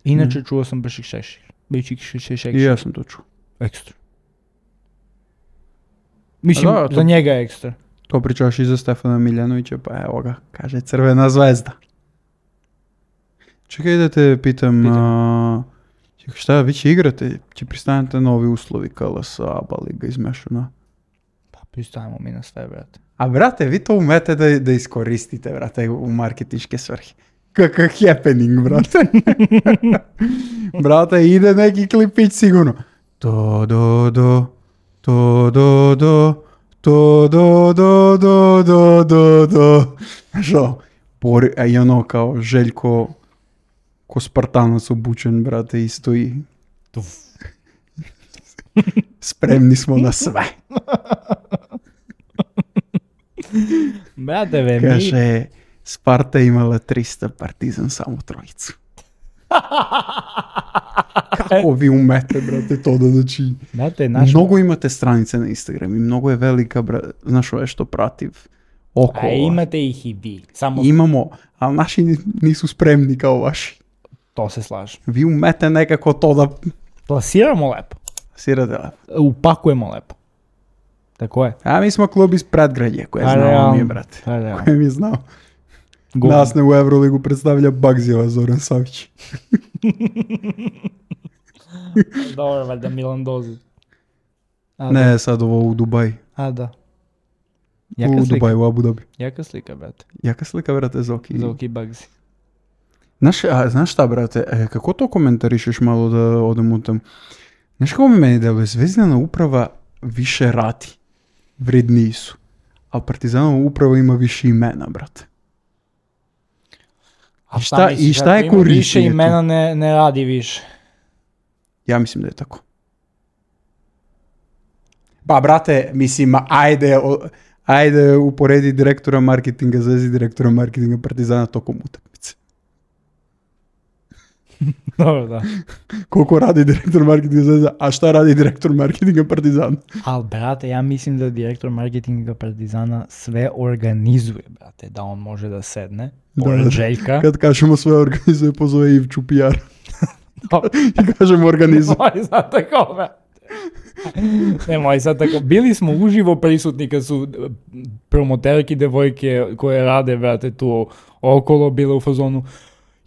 Inače, mm. čuo sam Bršik Šešir. Bršik Šešir. I ja sam to čuo. Ekstra. Mislim, da, za to, njega je ekstra. To pričaš i za Stefana Miljanovića, pa evo ga, kaže Crvena zvezda. Čekaj da te pitam, Pitam. A, šta, vi će igrate? Će pristanete novi uslovi K L S, A B A liga izmešana? Pa pristajemo mi na sve, brate. A brate, vi to umete da, da iskoristite, brate, u marketinške svrhe. Kakav happening, brate. Brate, ide neki klipić sigurno. To, do, do, to, do, do, to, do, do, do, do, do, do. Što? Bori, a i ono kao Željko ko Spartanac obučen, brate, i stoji. Spremni smo na sve. Brate, ve, Kaže, Sparta imala tristo, Partizan samo trojicu. Kako vi umete, brate, to da znači... Brate, naš... Mnogo imate stranice na Instagram i mnogo je velika, brate, znaš ove što prativ oko. A imate ih i vi. Samo... Imamo, ali naši nisu spremni kao vaši. To se slažem. Vi umete nekako to da... Plasiramo lepo. Plasirate lepo. Upakujemo lepo. Tako je. A mi smo klub iz predgrađe, koje je znao mi je, brate. Koje mi je znao. Go. Nas ne u Euroligu predstavlja Bagzijeva Zoran Savić. Dobro, valjda Milan Dozić. Ne, da. Sad ovo u Dubaji. A da. Jaka u slika. Dubaji, u Abu Dhabi. Jaka slika, brate. Jaka slika, brate, Zoki. Zoki Bagzi. Znaš, a, znaš šta, brate, e, kako to komentarišeš malo da odem u tam? Znaš kako mi meni deluje, Zvezdana uprava više radi, vredniji su, a Partizanova uprava ima više imena, brate. A šta, šta, misliš, i šta je korištenje? Više imena ne, ne radi više. Ja mislim da je tako. Pa, brate, mislim, ajde, ajde uporedi direktora marketinga Zvezde, direktora marketinga Partizana tokom utakmice. Dobro, da. Koliko radi direktor marketinga Zvezda, a šta radi direktor marketinga Partizana? Ali, brate, ja mislim da direktor marketinga Partizana sve organizuje, brate, da on može da sedne, pored da, Željka. Kad kažemo sve organizuje, pozove Ivču P R. I kažemo organizuje. Nemoj sad tako, brate. Nemoj sad tako. Bili smo uživo prisutni kad su promoterki, devojke koje rade, brate, tu okolo, bile u fazonu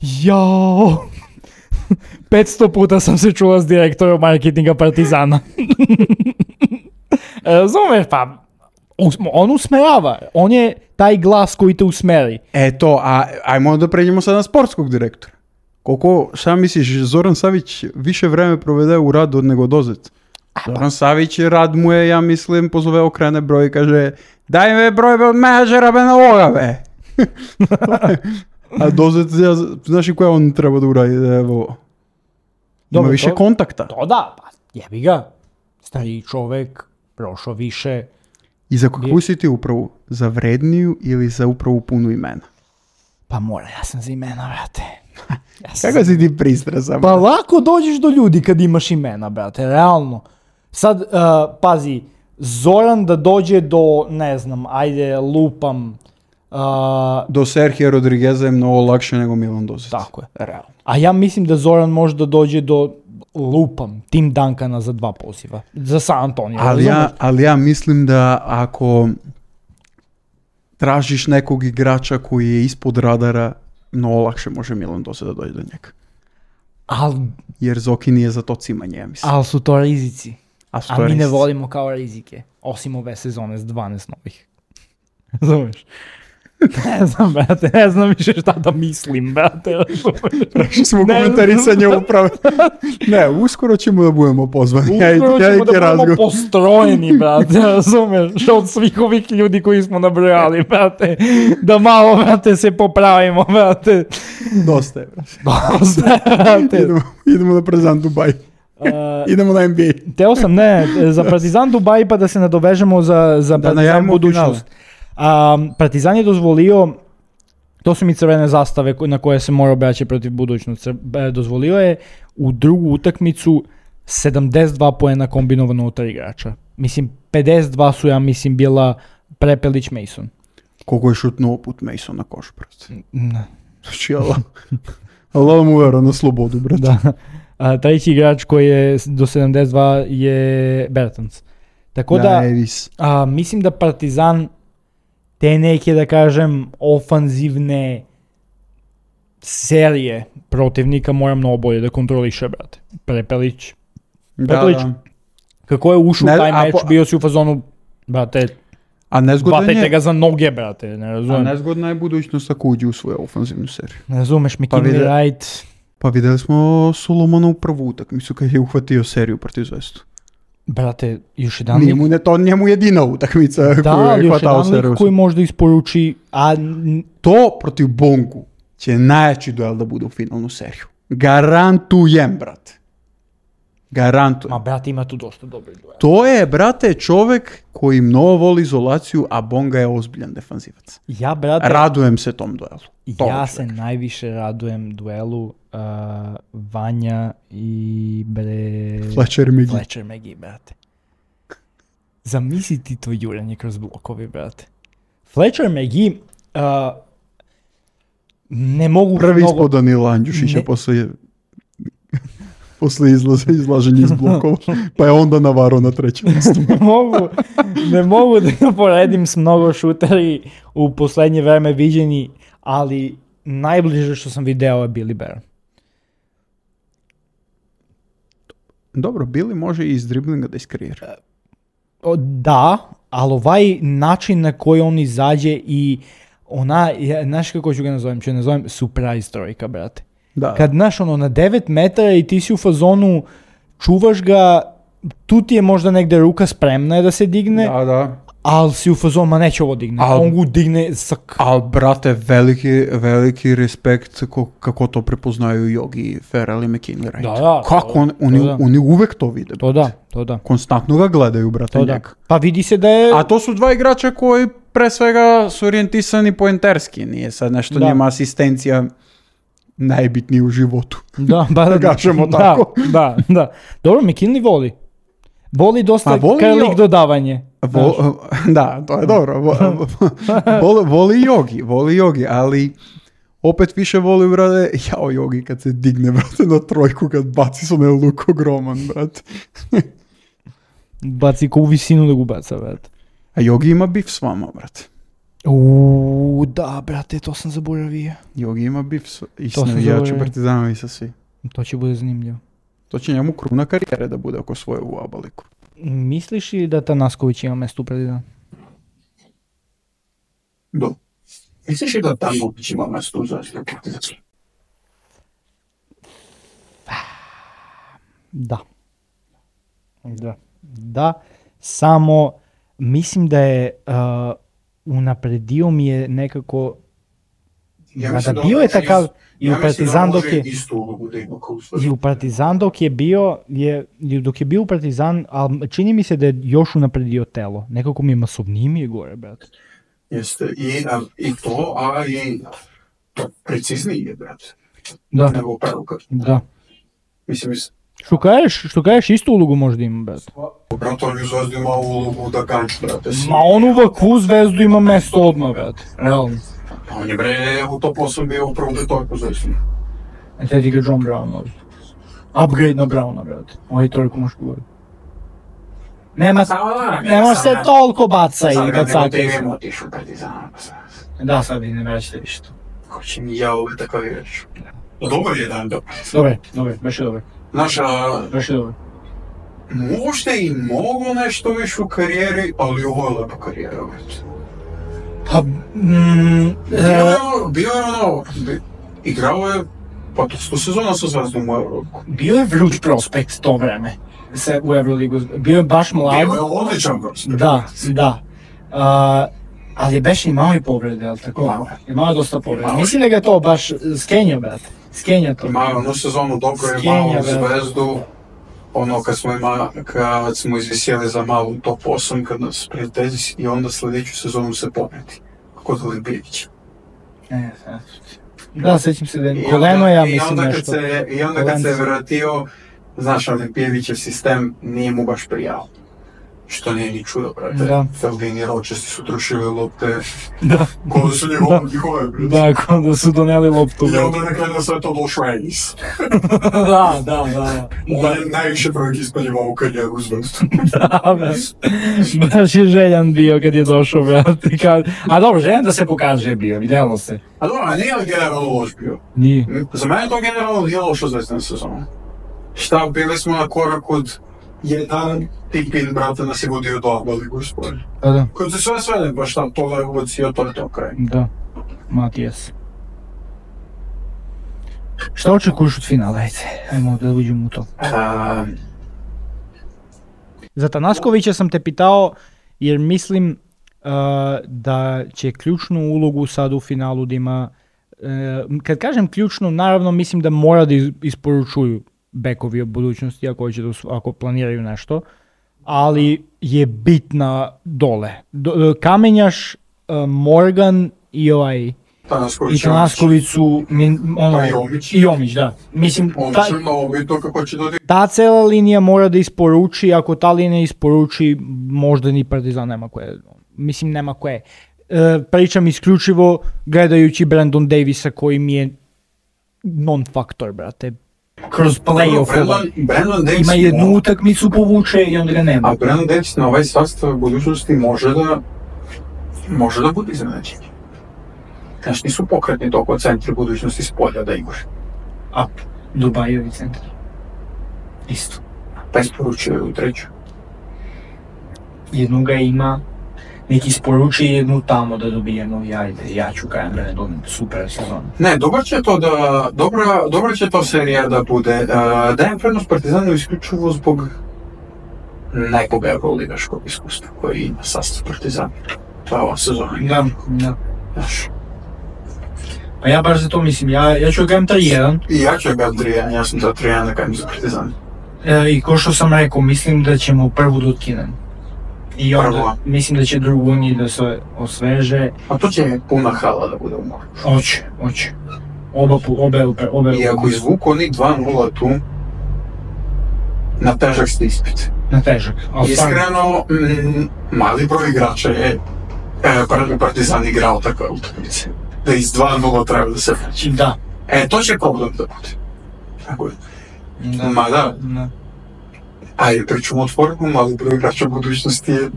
jao, petsto puta sam se čula s direktorom marketinga Partizana. Razumeš, pa on usmerava. On je taj glas koji te usmeri. Eto, a ajmo da pređemo sad na sportskog direktora. Koliko, šta misliš, Zoran Savić više vreme provede u radu od nego Dozet? Zoran Savić, rad mu je, ja mislim, pozove, okrene broj i kaže daj me broj od menadžera be na ovoga, be. A Dozet, ja, znaš i koja on treba da uradi? Evo, ima Dobre, više to, kontakta. To da, pa jebi ga. Stariji čovek, prošao više. I za kakvu si ti upravu? Za vredniju ili za upravu punu imena? Pa mora, ja sam za imena, brate. Ja kako si ti pristrasan? Pa lako dođeš do ljudi kad imaš imena, brate, realno. Sad, uh, pazi, Zoran da dođe do, ne znam, ajde, lupam, Uh, do Serhija Rodrigueza je mnogo lakše nego Milan Dozet. Tako je. Realno. A ja mislim da Zoran može da dođe do lupam Tim Duncana za dva poziva. Za San Antonio. Ali ja, ali ja mislim da ako tražiš nekog igrača koji je ispod radara, mnogo lakše može Milan Dozet da dođe do njega. Al, jer Zoki nije za to cimanje, ja mislim. Ali su to rizici. A, su A to mi rizici. ne volimo kao rizike. Osim ove sezone s dvanaest novih. Razumeš? Ne znam, brate, ne znam više šta da mislim, brate. Prešli smo Ne komentarisanje znam. upravo. Ne, uskoro ćemo da budemo pozvani. Ja i- Uskoro ja i ćemo da budemo razgovor. postrojeni, brate, razumeš, od svih ovih ljudi koji smo nabrojali, brate, da malo, brate, se popravimo, brate. Dosta je, brate. Dosta, brate. Idemo, idemo na Partizan Dubaj. Uh, Idemo na N B A. Teo sam, ne, za Partizan Dubaj pa da se nadovežemo za, za Da Partizan najavimo budućnost. Um, Partizan je dozvolio, to su mi crvene zastave ko- na koje se mora obraćati protiv budućnosti, Cr- e, dozvolio je u drugu utakmicu sedamdeset dva poena kombinovano od tri igrača. Mislim, pedeset dva su, ja mislim, bila Prepelić Mason. Koliko je šutnuo put Mason na koš, brate. Ne. Znači, Allah. Allah mu vera na slobodu, brate. Da. A, treći igrač koji je s- do sedamdeset dva je Bertans. Tako da, Davis. a, mislim da Partizan te neke, da kažem, ofanzivne serije protivnika mora mnogo bolje da kontroliše, brate. Prepelić, Da, Prepelić. da. kako je ušao Ne, u taj a meč, po- bio si u fazonu, brate, A nezgodan hvatajte je, ga za noge, brate, ne a razumem. Ne, nezgodna je budućnost ako uđe u svoju ofanzivnu seriju. razumeš, Pa McKinley vide- Wright, Pa videli smo Solomona u prvu utakmicu kad je uhvatio seriju protiv Zvezdu. brate, još jedan Nije lik, mu ne to njemu jedina utakmica da, koju ali je još hvatao jedan seriju. lik koji možda isporuči, a n- To protiv Bongu će najjači duel da bude u finalnu seriju. Garantujem, brate. Garantujem. ma brate, ima tu dosta dobrih duela. To je, brate, čovek koji mnogo voli izolaciju, a Bonga je ozbiljan defanzivac. Ja, brate, Radujem se tom duelu. Tom ja se čoveku. najviše radujem duelu uh, Vanja i bre... Fletcher McGee. Fletcher McGee, brate. Zamisli ti to juranje kroz blokove, brate. Fletcher McGee uh, ne mogu Prvi mnogo... ispod Danila Andjušića Ne. posle, posle izlaza, izlaženja iz blokova, pa je onda navarao na trećem mjestu. ne mogu, ne mogu da ga poredim s mnogo šuteri u poslednje vreme viđeni, ali najbliže što sam video je Billy Baron. Dobro, Billy može i iz driblinga da iskreira. O, da, ali ovaj način na koji on izađe i ona, ja, znaš kako ću ga nazovem, ću ga nazovem surprise trojka, brate. Da. Kad, znaš, ono, na devet metara i ti si u fazonu, čuvaš ga, tu ti je možda negde ruka spremna je da se digne, Da, da. ali si u fazonu, ma neće ovo digne. Al- On ga digne sa... k- Ali, brate, veliki, veliki respekt ko, kako to prepoznaju Jogi, Ferrell i McKinley Wright. Da, da, Kako to- on, oni, to da. oni uvek to vide. To brate. da, to da, Konstantno ga gledaju, brate, to da. njega. Pa vidi se da je... A to su dva igrača koji pre svega su orijentisani poenterski. Nije sad nešto Da. njima asistencija najbitnije u životu. Da, ba, Da kažemo da, tako. Da, da. Dobro, McKinley voli. Voli dosta A voli krlik jo- dodavanje. Vo- da, to je dobro. Vo- voli, voli Jogi, voli Jogi, ali opet više voli, brate, jao Jogi kad se digne, brate, na trojku, kad baci s onaj luk ogroman, brate. Baci ko u visinu da ga baca, brate. A Jogi ima bif s vama, brate. Uuu, da, brate, to sam zaboravio. Jogi ima bif s, i s To sam navijačima zaboravio. Partizana i sa svi. To će bude zanimljivo. To će njemu kruna karijere da bude oko svoje u Abaliku. Misliš li da Tanasković ima mesto u Partizanu? Do. Misliš li da tamo ima mesto u zaštitu Partizana? Da. Da. Da, samo mislim da je uh, unapredio mi je nekako... Mada bio je takav i u Partizan dok je... istu ulogu da ima kao I u Partizan dok je bio, je, dok je bio u Partizan, ali čini mi se da je još unapredio telo. Nekako mi je masovniji mi je gore, brate. Jeste, i, a, i to, a i to precizniji je, brate. Da. Nego peruka. Da. Mislim, mis- Što kažeš, što kažeš istu ulogu možda ima, brate. brate, on je u Zvezdu ima ulogu da ganj, brate. Ma on u ovakvu Zvezdu ima mesto odmah, brate. Realno. On je, bre, u top osam bio u prvom detojku Zvezdu. A te igra John Brown ovdje. Upgrade na Browna, brate. Ovaj trojku možeš govoriti. Nema, nema se toliko baca i bacaka. Sad otišu u Partizan. Da, sad ne vraćate više to. Hoće mi ja ove takav igrač. Dobar je dan, dobro. Dobre, dobre, baš je dobre. Znaš, a, Baš je dobre. možda i mogu nešto više u karijeri, ali ovo je lepa karijera, brate. Pa, mm, Bio e, je ono, bio je ono, bi- igrao je pa to sto sezona sa Zvezdom u Euroligu. bio je vruć prospekt to vreme se u Euroligu. Bio je baš mlad. Bio je odličan prospekt. Da, da. Uh, ali beš imao i povrede, jel tako? Imao je. Imao je dosta povrede. Imao je. Mislim da ga je to baš skenja, brate. Skenja to. Imao je onu sezonu dobro je Skenja, malo brate. Zvezdu, ono kad smo, ima, kad smo izvisjeli za malu top osam, kad nas prijatelji i onda sljedeću sezonu se pometi. Kod Libijevića. E, sad. Da, sjećam se da I je onda- koleno, ja i mislim onda kad nešto. se, I onda kad se Kolence. vratio, znaš, Olimpijevićev sistem nije mu baš prijao. Što nije ni čudo, brate. Da. Feldin i Ročesti su trošili lopte, Da, ko da su njegove, njihove, brate. da, kao da su doneli loptu. I onda na kraju sve to došao Ennis. Da, da, da. On je najviše prvog ispaljivao u karijeru u Zvezdu. Da, brate. Baš je željan bio kad je došao, brate. Kad... A dobro, željan da se pokaže bio, vidjelo se. A dobro, a nije li generalno loš bio? Nije. Za mene to generalno nije loša Zvezdana sezona. Šta, bili smo na korak od jedan tipin, brate, nas je vodio do Aba ligu spolja. Pa da, Kad se sve svede, baš tam to je ubacio, to je to kraj. da. Matijas. Šta očekuješ od finala, ajde? Ajmo da uđemo u to. A, Za Tanaskovića sam te pitao jer mislim uh, da će ključnu ulogu sad u finalu da ima, uh, kad kažem ključnu, naravno mislim da mora da iz- isporučuju bekovi od budućnosti ako, hoće da, us- ako planiraju nešto, ali je bitna dole. Do, Kamenjaš, uh, Morgan i ovaj Tanasković, i Tanasković su min- ono, Pa i Jomić. i Jomić, da. Mislim, On ta, će mnogo bitno kako će dodati. ta cela linija mora da isporuči, ako ta linija isporuči, možda ni Partizan nema koje, mislim nema koje. E, pričam isključivo gledajući Brandon Davisa koji mi je non-faktor, brate. Kroz playoff Brandon, Brandon Davis ima jednu mo- utakmicu povuče i onda ga nema. A Brandon Davis na ovaj sastav budućnosti može da može da bude iznenađenje. Znaš, nisu pokretni toliko centri budućnosti s polja da igra. A, Dubajevi centar. Isto. Pa isporučio u treću. Jednu ga ima, neki isporuči jednu tamo da dobije novi, ajde, ja ću kajem Brandon, super sezon. Ne, dobro će to da, dobra, dobra će to serija da bude. Uh, dajem prednost Partizanu isključivo zbog nekog euroligaškog iskustva koji ima sastav Partizana. To je ova sezona. Da, da. Znaš, Pa ja baš za to mislim, ja, ja ću gajem tri jedan. i ja ću ga tri jedan, ja sam za tri jedan da kajem za Partizan. E, I ko što sam rekao, mislim da ćemo prvu da otkinem. I onda Prvo. mislim da će drugu njih da se osveže. A to će puna hala da bude u moru. Oće, oće. Oba, pu- obe, obe, obe. I ako izvuku oni dva nula tu, na težak ste ispit. Na težak. Ali stvarno, Iskreno, mm, mali broj igrača je e, Par- Partizan igrao takve utakmice. Da iz dva nula treba da se vraća. da. E, to će problem da bude. Tako je. Da. Ma da, Da. ajde, pričamo otvoreno, mali broj igrača budućnosti je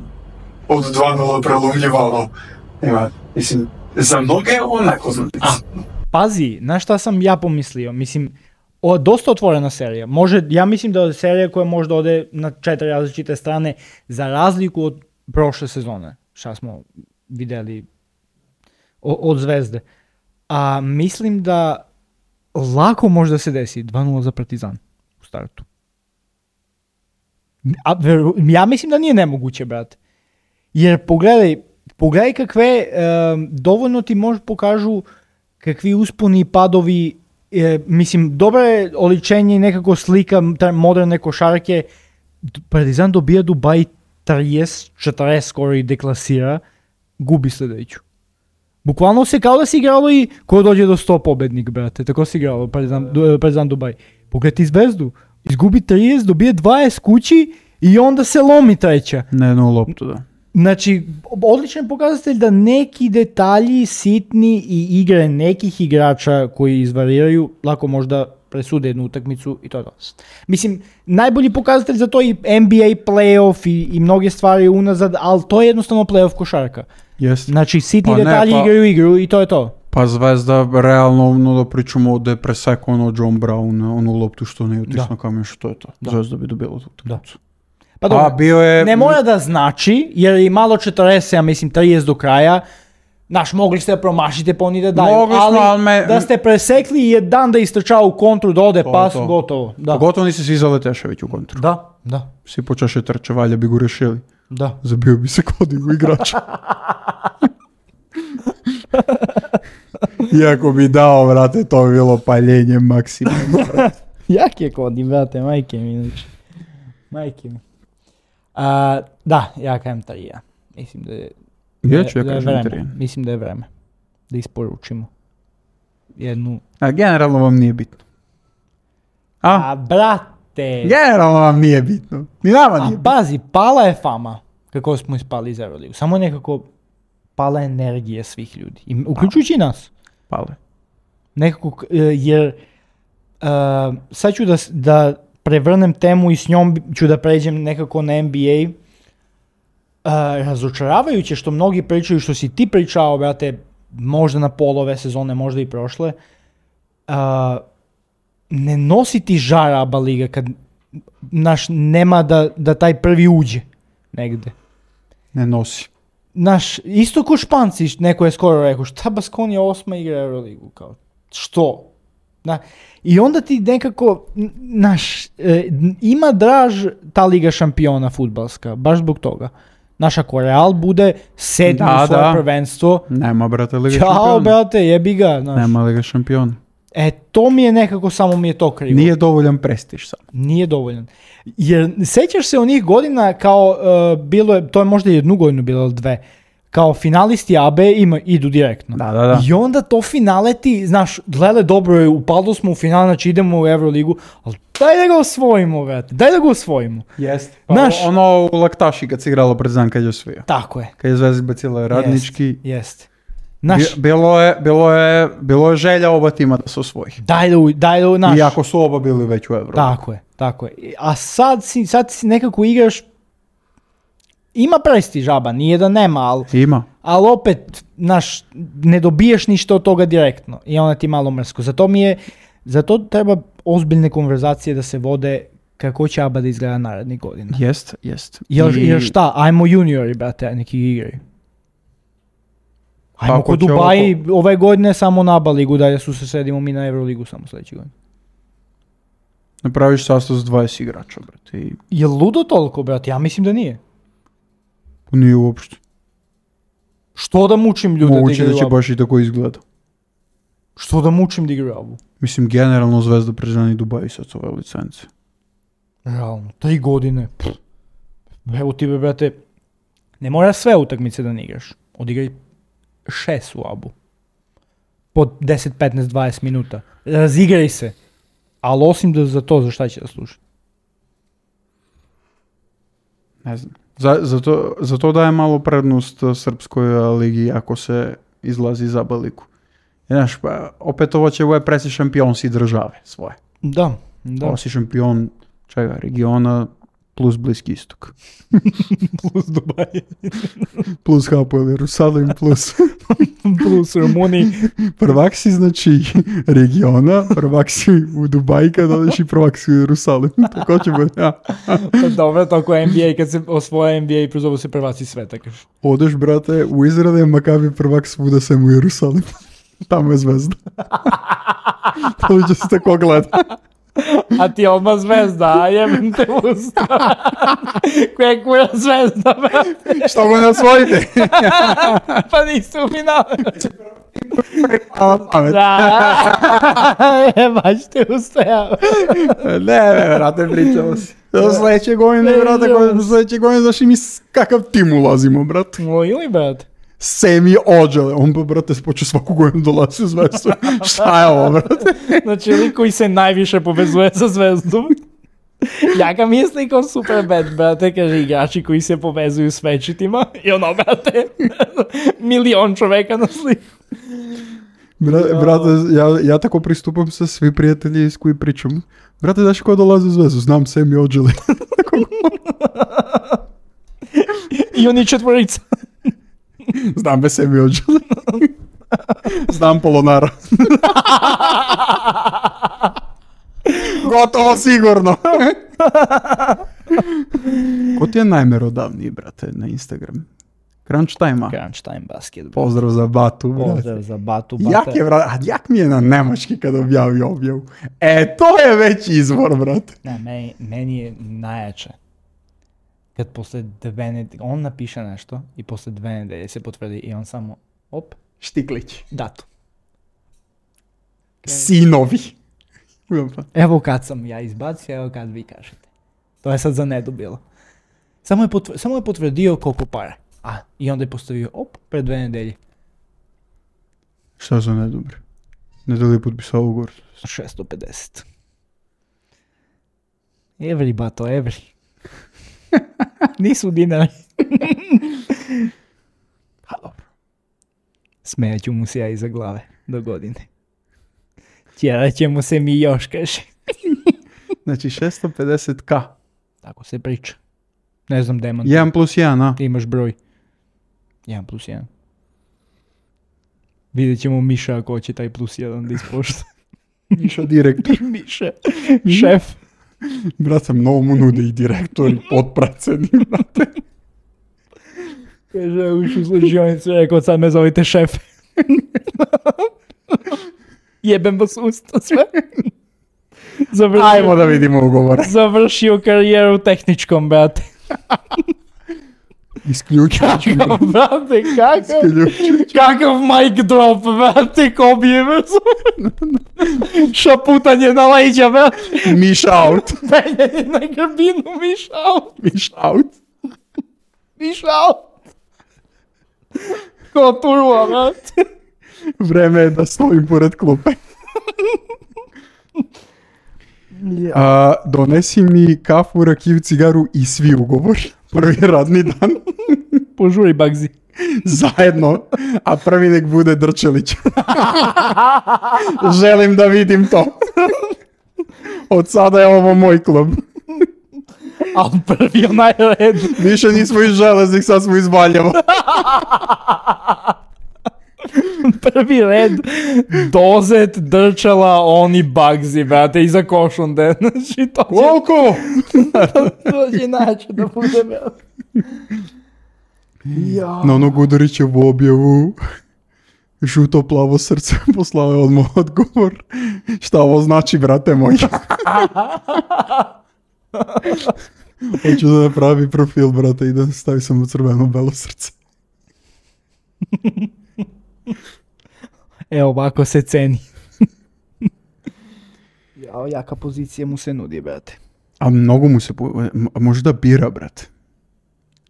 od dva nula prelomljivalo. Ima, mislim, za mnoge je ovo nepoznanica. Pazi, znaš šta sam ja pomislio? Mislim, o, dosta otvorena serija. Može, ja mislim da je serija koja možda ode na četiri različite strane za razliku od prošle sezone. Šta smo vidjeli o- od Zvezde. A mislim da lako može da se desi dva nula za Partizan u startu. A, veru- ja mislim da nije nemoguće, brate. Jer pogledaj, pogledaj kakve, em, dovoljno ti može pokažu kakvi usponi i padovi, e, mislim, dobro je oličenje i nekako slika te moderne košarke. D- Partizan dobija Dubaj trideset četrdeset skoro i deklasira, gubi sljedeću. Bukvalno se kao da si igralo i ko dođe do sto pobednik, brate, tako si igralo Partizan, Du- Partizan Dubaj. Pogledaj ti Zvezdu, izgubi trideset, dobije dvadeset kući i onda se lomi treća. Na jednu loptu, da. Znači, odličan pokazatelj da neki detalji sitni i igre nekih igrača koji izvariraju lako možda presude jednu utakmicu i to je to. Mislim, najbolji pokazatelj za to je i N B A playoff i, i mnoge stvari unazad, ali to je jednostavno playoff košarka. Jeste. Znači, sitni Pa ne, detalji pa- igraju igru i to je to. Pa Zvezda, realno, ono da pričamo da je presekao ono John Brown, onu loptu što ne utisno Da. kamen, što je to. Da. Zvezda bi dobila tu utakmicu. Pa A dobro, bio je... ne mora da znači, jer je malo četrdeset, ja mislim trideset do kraja, Znaš, mogli ste da promašite pa oni da daju, Mogli smo, ali, ali me- da ste presekli i jedan da istrčava u kontru, da ode To je pas, to. gotovo. Da. Pogotovo nisi svi za Letešević u kontru. Da, da, Svi počeše trče, valja bi go rešili. da. Zabio bi se kod u igrača. Iako bi dao, vrate, to bi bilo paljenje maksimalno. Jak je Kodi, brate, majke mi, znači. Majke mi. A, da, ja kajem tri, ja. Mislim da je, Ja ću ja da je kažem vreme. tri. Mislim da je vreme. Da isporučimo. Jednu. A generalno vam nije bitno. A? A, brate. Generalno vam nije bitno. Ni nama A nije bitno. pazi, pala je fama kako smo ispali iz Euroligu. Samo nekako pala energija svih ljudi. I, uključujući i nas. Pale. Nekako, e, jer uh, sad ću da, s- da prevrnem temu i s njom bi- ću da pređem nekako na N B A. Uh, razočaravajuće što mnogi pričaju, što si ti pričao, brate, možda na pola ove sezone, možda i prošle, uh, ne nosi ti žar ABA liga kad naš nema da, da taj prvi uđe negde. Ne nosi. Naš, isto ko Španci, neko je skoro rekao, šta Baskonija osma igra Euroligu, kao, što? Na, i onda ti nekako, n- naš, e, n- ima draž ta Liga šampiona fudbalska, baš zbog toga. Naš, ako Real bude sedmi Da, u svoje da. prvenstvo, Nema, brate, Liga čao, šampiona. brate, jebi ga, znaš. Nema Liga šampiona. E, to mi je nekako, samo mi je to krivo. Nije dovoljan prestiž sam. Nije dovoljan. Jer sećaš se onih godina kao uh, bilo je, to je možda jednu godinu bilo ili dve, kao finalisti A B ima, idu direktno. Da, da, da. I onda to finale ti, znaš, gleda dobro je, upalo smo u final, znači idemo u Euroligu, ali daj da ga osvojimo, brate, daj da ga osvojimo. Jeste. Pa Znaš- ono u Laktaši kad se igralo pred dan kad je osvojio. Tako je. Kad je Zvezda izbacila radnički. Jest, jest. Znaš, Bi- bilo, je, bilo, je, bilo je želja oba tima da se osvoji. daj da, u- daj da, u- znaš, Iako su oba bili već u Euro. tako je, tako je. A sad si, sad si nekako igraš, ima prestiž ABA, nije da nema, ali Ima. ali opet, znaš, ne dobiješ ništa od toga direktno i onda ti malo mrsko. Zato mi je, zato treba ozbiljne konverzacije da se vode kako će ABA da izgleda narednih godina. Jest, jest. Jer, I- jer šta, ajmo juniori, brate, neki igraju. Ajmo Ako kod će Dubaji ove godine samo na ABA ligu, dalje su se sredimo mi na Euroligu samo sljedeće godine. Napraviš sastav s dvadeset igrača, brate. I Je ludo toliko, brate? Ja mislim da nije. nije uopšte. Što da mučim ljude da Moguće da igraju će ABU? baš i tako izgleda. Što da mučim da igraju ABU? Mislim, generalno Zvezda prežani Dubai sad s ove licence. Realno, tri godine. Pff. Evo ti, brate, ne mora sve utakmice da ne igraš. Odigraj šest u ABU. Po deset, petnaest, dvadeset minuta. Razigraj se. Ali osim da za to, za šta će da služi? Ne znam. Za, zato, zato daje malo prednost uh, srpskoj uh, ligi ako se izlazi za baliku. Znaš, pa, opet ovo će ovo je presi šampion si države svoje. Da, da. Ovo si šampion čega, regiona plus Bliski istok. Plus Dubaj. Plus Hapoel Jerusalim plus Plus Rumuniji. prvak si znači regiona, prvak si u Dubaji kad odeš i prvak si u Jerusalim. Tako će biti. Ja. Pa dobro, tako N B A, kad se osvoja N B A, prozovu se prvaci sveta, kažeš. Odeš, brate, u Izrael, Makabi prvak svuda sem u Jerusalim. Tamo je Zvezda. To će se tako gleda. A ti odmah Zvezda, a jebim te usta. Koja je kura Zvezda, brate. Što go ne osvojite? Pa niste u finalu. Hvala pamet. Da, je, baš te ustajao. Ne, ne, brate, pričamo si. Do sledeće godine, brate, do sledeće godine, znaš i mi s kakav tim ulazimo, brate. Moj ili, brate? Semi Ođele, on pa, brate, počeo svaku godinu dolazi u Zvezdu. Šta je ovo, brate? Znači, lik koji se najviše povezuje sa Zvezdom. Ja ga mislim kao super bad, brate, kaže igrači koji se povezuju s večitima. I ono, brate, milion čoveka na sliku. Bra- brate, ja, ja tako pristupam sa svi prijatelji s koji pričam. Brate, znaš ko dolazi u Zvezdu? Znam Semi Ođele. I oni četvorica. Znam bez Semi Ođele. Znam Polonara. Gotovo sigurno. Ko ti je najmerodavniji, brate, na Instagram? Crunch Time-a. Crunch Time basketball. Pozdrav za Batu, brate. Pozdrav za Batu. Bata. Jak je, brate, a jak mi je na nemački kad objavio objavu? E, to je već izvor, brate. Ne, meni, meni je najjače. Kad posle dve nedelje, on napiše nešto i posle dve nedelje se potvrdi i on samo, op, Štiklić. datum. Sinovi. Evo kad sam ja izbacio, evo kad vi kažete. To je sad za Nedu bilo. Samo je, potv- samo je potvrdio koliko para. A, i onda je postavio, op, pred dve nedelje. Šta za nedobre? Ne da li je potpisao ugovor? šesto pedeset. Evri, bato, evri. Nisu dinari. Ha, dobro. Smejat ću mu se ja iza glave do godine. Tjerat ćemo se mi još, kaže. Znači šesto pedeset ka. Tako se priča. Ne znam, demant. jedan plus jedan, a? Imaš broj. jedan plus jedan. Vidjet ćemo Miša ako će taj plus jedan da ispošta. Miša direktor. Miša, šef. Brate, mnogo mu nude i direktor i potpredsednik, brate. Kaže, uš u služionicu, rekao, sad me zovite šef. Jebem vas usta sve. Završio, Ajmo da vidimo ugovore. završio karijeru tehničkom, brate. Isključujući. Kakav, brate, kakav, Isključujući. kakav mic drop, brate, ko bi je šaputanje na leđa, brate. Miš out. Penjanje na grbinu, miš out, Miš out. miš out. Ko turbo, brate. Vreme je da stojim pored klupe. A, donesi mi kafu, rakiju, cigaru i svi ugovor. Prvi radni dan. Požuri, Bagzi. Zajedno. A prvi nek bude Drčelić. Želim da vidim to. Od sada je ovo moj klub. Al prvi onaj red. Više nismo iz Železnik, sad smo iz Valjeva. Prvi red, Dozet, Drčela, oni Bagzi, brate, iza Košunde. Znači, to će, Koliko? to će način da bude, brate. Ja. Na onog Udorićevu objavu žuto plavo srce poslao je odmah odgovor. Šta ovo znači, brate moj? Hoću da napravi profil, brate, i da stavi samo crveno belo srce. Evo ovako se ceni. Jao, jaka pozicija mu se nudi, brate. A mnogo mu se, po- m- možda bira, brate.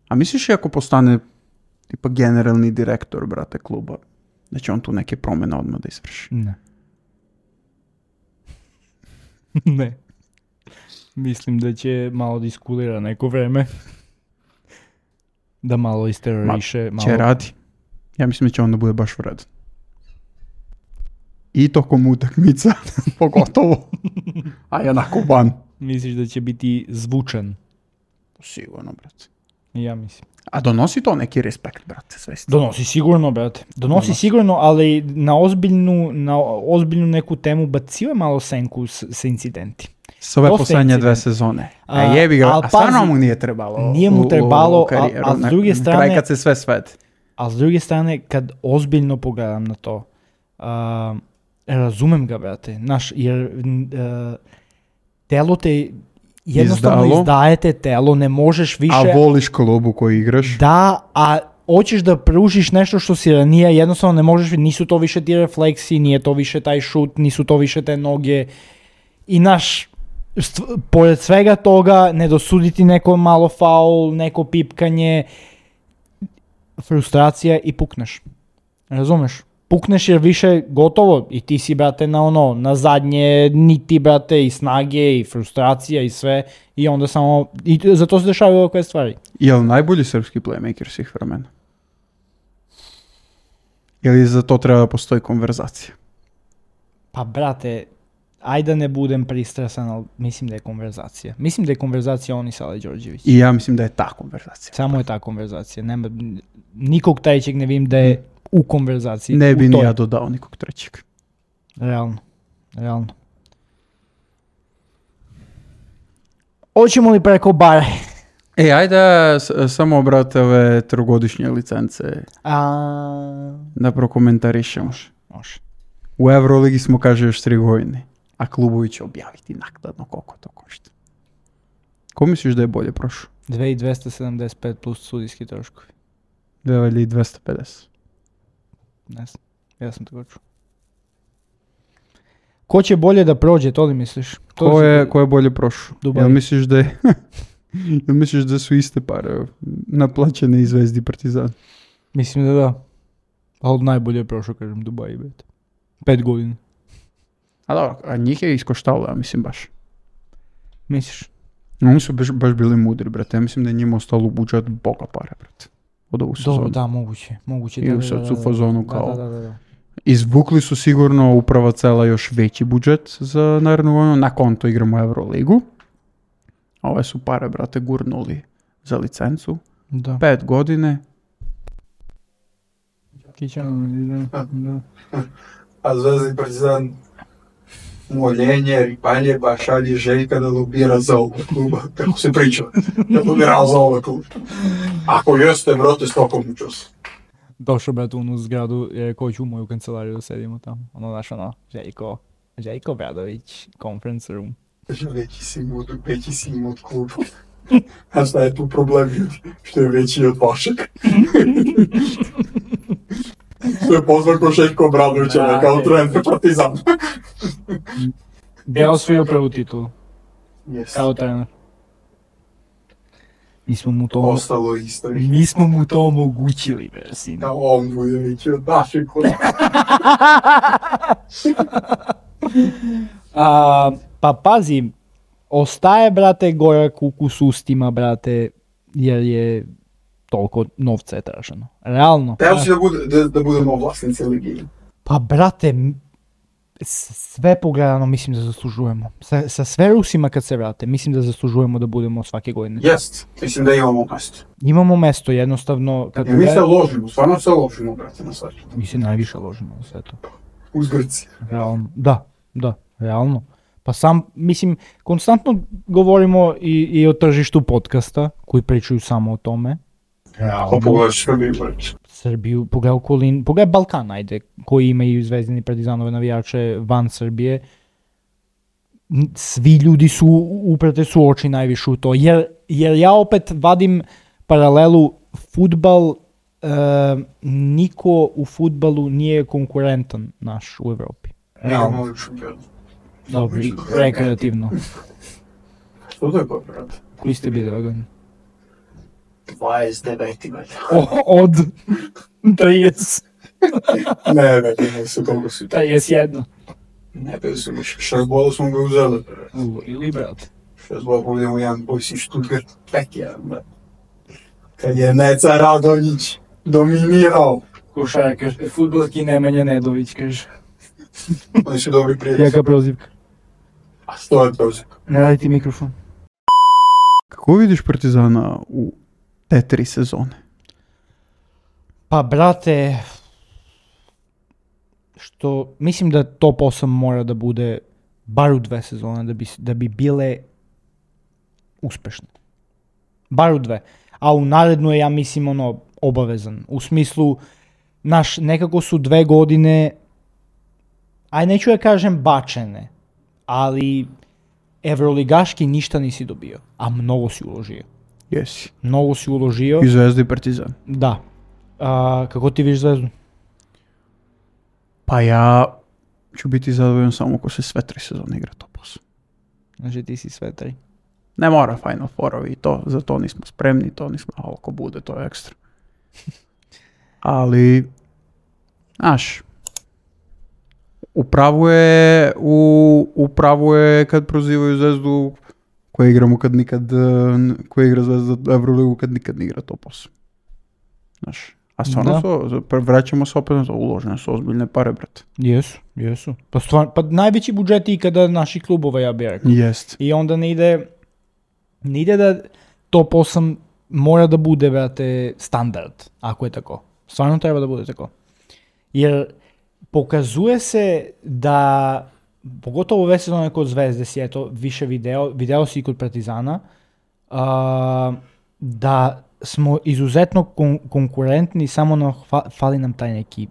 A misliš i ako postane tipa generalni direktor, brate, kluba, da će on tu neke promjene odmah da izvrši? Ne. Ne. Mislim da će malo da iskulira neko vreme. Da malo isteroriše. Malo... Će radi. Ja mislim da će onda bude baš vredan. I tokom utakmica, pogotovo. A jednako ban. Misliš da će biti zvučan? Sigurno, brate. Ja mislim. A donosi to neki respekt, brate, svesti. Donosi sigurno, brate. Donosi, Donosi. sigurno, ali na ozbiljnu, na ozbiljnu neku temu bacio je malo senku s, sa incidenti. S ove Dosta poslednje dve incident. sezone. A, A, jebi ga, al a stvarno pazi, mu nije trebalo. nije mu u- u- trebalo, u karijeru, a- a s na- druge na strane- kraj kad se sve svede. A s druge strane, kad ozbiljno pogledam na to, a, razumem ga, brate. Naš, jer n- a, telo te jednostavno Izdalo. izdajete telo, ne možeš više... A voliš klubu u kojoj igraš? Da, a hoćeš da pružiš nešto što si ranije, jednostavno ne možeš, nisu to više ti refleksi, nije to više taj šut, nisu to više te noge. I naš, st- pored svega toga, ne dosuditi neko malo faul, neko pipkanje, frustracija i pukneš. Razumeš? Pukneš jer više gotovo i ti si, brate, na ono, na zadnje niti, brate, i snage i frustracija i sve i onda samo, i zato se dešavaju ovakve stvari. Je li najbolji srpski playmaker svih vremena? Ili za to treba da postoji konverzacija? Pa, brate, ajde da ne budem pristrasan, ali mislim da je konverzacija. Mislim da je konverzacija on i Sale Đorđević. I ja mislim da je ta konverzacija. Samo je ta konverzacija. Nema, nikog trećeg ne vidim da je u konverzaciji. Ne bi u ni toj. ja dodao nikog trećeg. Realno. Realno. Hoćemo li preko bare? E, ajde s- samo, brate, ove trogodišnje licence A... da prokomentarišemo. Može. U Euroligi smo, kaže, još tri godine, a klubovi će objaviti naknadno koliko to košta. Ko misliš da je bolje prošao? dve hiljade dvesta sedamdeset pet plus sudijski troškovi. dve hiljade dvesta pedeset. Ne znam, ja sam tako čuo. Ko će bolje da prođe, to li misliš? To Ko li- je, ko je bolje prošao? Dubai. Jel misliš da je... Jel misliš da su iste pare naplaćene iz Zvezdi i Partizan? Mislim da da. A od najbolje je prošao, kažem, Dubai, bet. Pet godina. A dobro, a njih je iskoštalo, ja mislim baš. Misliš? Oni su baš, baš bili mudri, brate. Ja mislim da je njima ostalo u budžet boga pare, brate. Od ovu sezonu. Dobro, da, moguće. Moguće. I da, u da, sad da, su da, u fazonu da, kao- Da, da, da, da. Izvukli su sigurno uprava cela još veći budžet za narednu godinu. Na konto igramo Euroligu. Ove su pare, brate, gurnuli za licencu. Da. Pet godine. Kićan, da, da. A Zvezda i Partizan moljenje, ripanje, ba šalje Željka da lobira za oba kluba. Kako se priča, da lobira za oba kluba. Ako jeste, brate, stokom čas. Došao, brate, u onu zgradu, je rekao ću u moju kancelariju da sedimo tamo. Ono, znaš, ono, Željko, Željko Bradović, conference room. Kaže, veći si im od, veći si im od kluba. A šta je tu problem, ljudi? Što je veći od vašeg? Što je pozvan ko Željko Obradovića, Da, kao je. trener Partizan. Gdje je osvojio prvu titulu, Yes. kao trener. Mi smo mu to, Ostalo isto. mi smo mu to omogućili, bre, sine. Da on bude veći od našeg kluba. A, pa pazi, ostaje, brate, gorak ukus ustima, brate, jer je toliko novca je traženo. Realno. Teo si da, bude, da, da budemo vlasnici Ligi. Pa, brate, m- s- sve pogledano mislim da zaslužujemo. Sa, sa sve Rusima kad se vrate, mislim da zaslužujemo da budemo svake godine. Jest, mislim da imamo mesto. Imamo mesto, jednostavno, kad I mi se pogled- ložimo, stvarno se ložimo, brate, na sve. mi se najviše ložimo na sve to. Uz Grci. Realno, da, da, realno. Pa sam, mislim, konstantno govorimo i, i o tržištu podcasta, koji pričaju samo o tome. Ako pogledaš Srbiju, brate. Srbiju, pogledaj okolin, pogledaj Balkan, ajde, koji imaju Zvezdini Partizanove navijače van Srbije. N- Svi ljudi su, uprate su oči najviše u to, jer, jer ja opet vadim paralelu, fudbal, e, niko u fudbalu nije konkurentan naš u Evropi. Imamo li šampion. Dobro, i rekreativno. Što to je pa, brate? Koji ste bili ove godine? dvadeset devet, brate. Od trideset, Ne, brate, ne su koliko su. trideset jedan. Ne, bili su mi šest bola smo ga uzeli, brate. Ili, brate. Šest bola povedemo jedan boj si Stuttgart, pek jedan, brate. Kad je Neca Radonjić dominirao. Košarkaš, fudbalski Nemanja Nedović, kaže. Oni su dobri prijatelji. Jaka prozivka. A što je prozir? Ne radi ti mikrofon. Kako vidiš Partizana u te tri sezone? Pa, brate, što, mislim da top osam mora da bude bar u dve sezone da bi, da bi bile uspešne. Bar u dve. A u narednu je, ja mislim, ono, obavezan. U smislu, naš, nekako su dve godine, aj neću ja kažem bačene, ali evroligaški ništa nisi dobio, a mnogo si uložio. Jesi. Mnogo si uložio, I Zvezda i Partizan. da. A, kako ti vidiš Zvezdu? Pa ja ću biti zadovoljan samo ako se sve tri sezone igra top osam. Znači ti si sve tri. Ne mora Final Four-ovi i to, za to nismo spremni, to nismo, a ako bude, to je ekstra. Ali, znaš, upravo je, u, upravo je kad prozivaju Zvezdu koja igramo kad nikad, eh, koja igra Zvezda Euroligu kad nikad ne igra top osam. Znaš, a stvarno Da. su, vraćamo se opet na to, uložene su ozbiljne pare, brate. Jesu, jesu. Pa, stvar, pa najveći budžeti ikada naših klubova, ja bih rekao. Jest. I onda ne ide, ne ide da top osam mora da bude, brate, standard, ako je tako. Stvarno treba da bude tako. Jer pokazuje se da, pogotovo ove sezone kod Zvezde si, eto, više video, video si i kod Partizana, a, da smo izuzetno kon- konkurentni, samo nam fa- fali nam taj neki,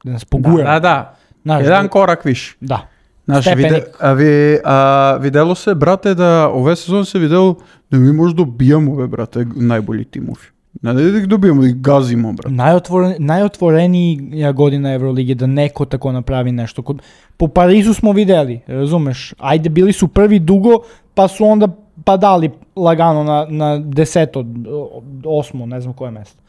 da nas pogura. Da, da, da. Znaš, Jedan da- korak više. Da. Znaš, Stepenik. виде, а, ви, а, видело се, брате, да ове сезон се видело да ми може добијамо, бе, брате, најбољи тимови. Не да ги добијамо, да ги газимо, брате. Najotvoren, najotvorenija godina Evrolige da neko tako napravi nešto. Kod, po Parizu smo videli, razumeš? Ajde, bili su prvi dugo, pa su onda padali lagano na, na deseto, osmo, ne znam koje mesto.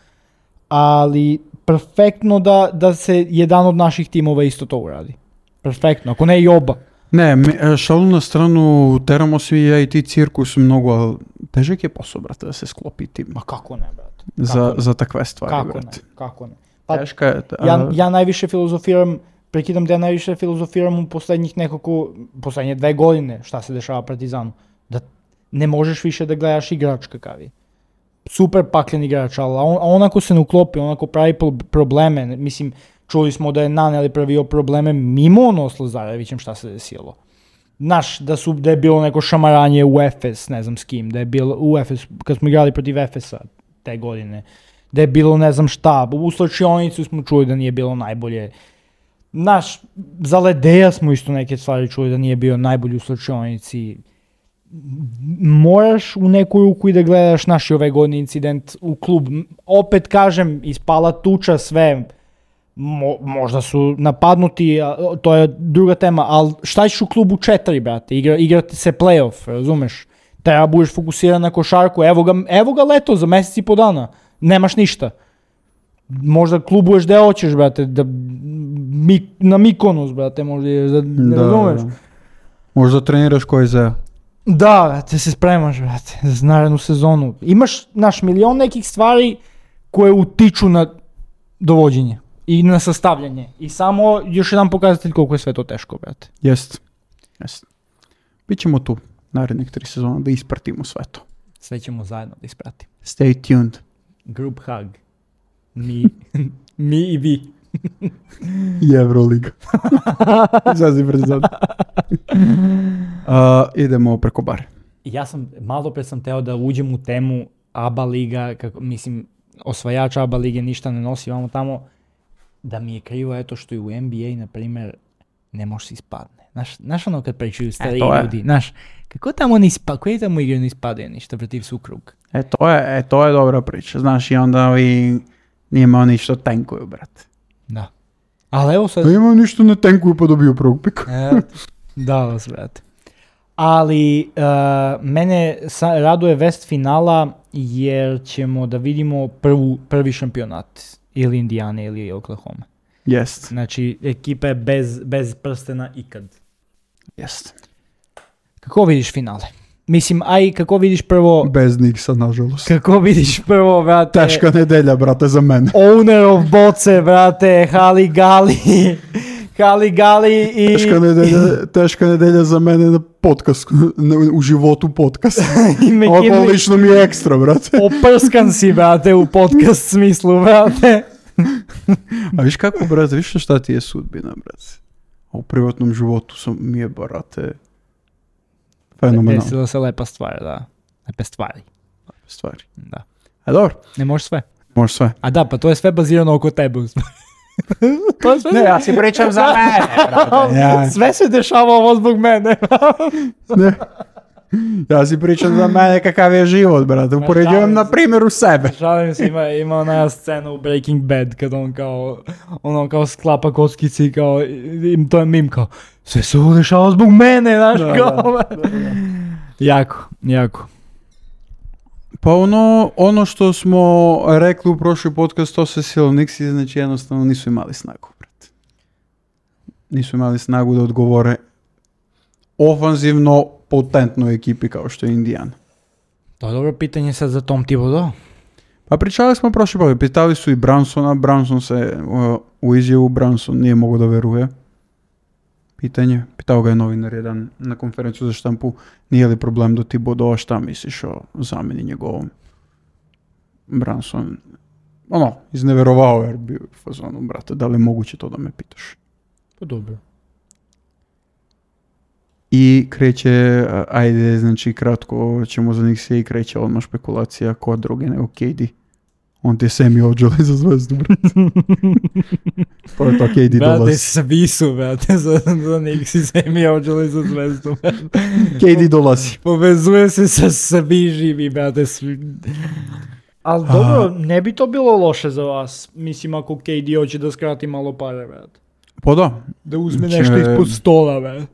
Ali perfektno da, da se jedan od naših timova isto to uradi. Perfektno, ako ne i oba. Не, ме- шалу на страну, терамо си ја и ти циркус многу, а тежек е посо, брате, да се склопи тим. Ma kako ne, brate? За, ne? за такве ствари, Kako ne? брате. Kako ne? Pa, Тешка е. а, ja, ja najviše filozofiram, prekidam da ja najviše filozofiram u poslednjih nekoliko, poslednje dve godine šta se dešava Partizanu. Da ne možeš više da gledaš igrač kakav je. Super paklen igrač, ali on, on ako se ne uklopi, on ako pravi pro- probleme, ne- mislim, čuli smo da je Naneli pravio probleme mimo ono s Lazarevićem šta se desilo. Znaš, da, su, da je bilo neko šamaranje u Efes, ne znam s kim, da je bilo u Efes, kad smo igrali protiv Efesa te godine, da je bilo ne znam šta, u slačionicu smo čuli da nije bilo najbolje. Znaš, za Ledeja smo isto neke stvari čuli da nije bio najbolji u slačionici. Moraš u neku ruku i da gledaš naš i ove godine incident u klub. Opet kažem, ispala tuča sve, Mo, možda su napadnuti, a, to je druga tema, ali šta ćeš u klubu četiri, brate, Igra, igrati se play-off, razumeš? Treba budeš fokusiran na košarku, evo ga, evo ga leto za mjesec i po dana, nemaš ništa. Možda klubuješ gde hoćeš, brate, da, mi, na Mikonos, brate, možda ideš, da, ne Да, razumeš? да. Може да тренираш кој за. Da, brate, se spremaš, brate, za narednu sezonu. Imaš, naš, milion nekih stvari koje utiču na dovođenje i na sastavljanje. I samo još jedan pokazatelj koliko je sve to teško, brate. Jest. Jest. Bićemo tu narednih tri sezona da ispratimo sve to. Sve ćemo zajedno da ispratimo. Stay tuned. Group hug. Mi, mi i vi. I Euroliga. Zazi Partizan. Uh, idemo preko bare. Ja sam, malo pre sam teo da uđem u temu A B A liga, kako, mislim, osvajač A B A lige ništa ne nosi, vamo tamo, da mi je krivo eto što i u N B A, na primjer, ne može se ispadne. Znaš, znaš ono kad pričaju stari to je. ljudi, znaš, kako tamo ne ispa, koji tamo igra ne ispade ništa protiv Sukrug? E to je, e, to je dobra priča. Znaš, i onda ovi nijema ništa tenkuju, brate. Da. Ali evo sad... Da ima ništa ne tenkuju pa dobiju prvog pika. E, da vas, brate. Ali uh, mene sa, raduje vest finala jer ćemo da vidimo prvu, prvi šampionat ili Indijane ili Oklahoma. Jest. Znači ekipe bez, bez prstena ikad. Jest. Kako vidiš finale? Mislim, aj kako vidiš prvo... Bez Niksa, nažalost. Kako vidiš prvo, brate... Teška nedelja, brate, za mene. Owner of Boce, brate, Hali Gali... Hali Gali i... Teška nedelja, teška nedelja za mene na podcast, na, u životu podcast. i Ovo McKinley. lično mi je ekstra, brate. Oprskan si, brate, u podcast smislu, brate. A viš kako, brate, viš šta ti je sudbina, brate? A u privatnom životu sam, mi je, brate, fenomenalno. Desila se lepa stvar, da. Lepe stvari. Stvari. Da. A dobro, Ne možeš sve. može sve. A da, pa to je sve bazirano oko tebe. To je sve... Ne, ja si pričam za mene, brate. Ja, Sve se dešava ovo zbog mene. ne. Ja si pričam za mene kakav je život, brate. Upoređujem na primjeru sebe. Šalim se, ima, ima ona scena u Breaking Bad kad on kao, ono kao sklapa kockici i kao, i to je mim kao, sve se ovo dešava zbog mene, znaš, Da, kao. Jako, jako. Pa ono, ono što smo rekli u prošli podcast, to se Silovniksi, znači jednostavno nisu imali snagu, brate. Nisu imali snagu da odgovore ofanzivno potentnoj ekipi kao što je Indijana. To je dobro pitanje sad za Tom Thibodeau. Pa pričali smo prošli put, pitali su i Brunsona, Brunson se uh, u izjavu Brunson nije mogao da veruje. Pitanje, pitao ga je novinar jedan na konferenciju za štampu, nije li problem do Thibodeau, šta misliš o zamjeni njegovom? Brunson, ono, izneverovao jer bio u fazonu, brate, da li je moguće to da me pitaš? Pa dobro. i kreće, ajde, znači kratko ćemo za njih sve i kreće odmah špekulacija ko drugi nego K D. On ti Semi Ođele za zvezdu, brate. Pa je to K D Brate, dolazi. svi su, brate, za, za njih si Semi Ođele za zvezdu. K D dolazi. Povezuje se sa svi živi, brate. Svi... Ali dobro, ne bi to bilo loše za vas. Mislim, ako K D hoće da skrati malo pare, brate. Pa da. Da uzme Če- nešto ispod stola, brate.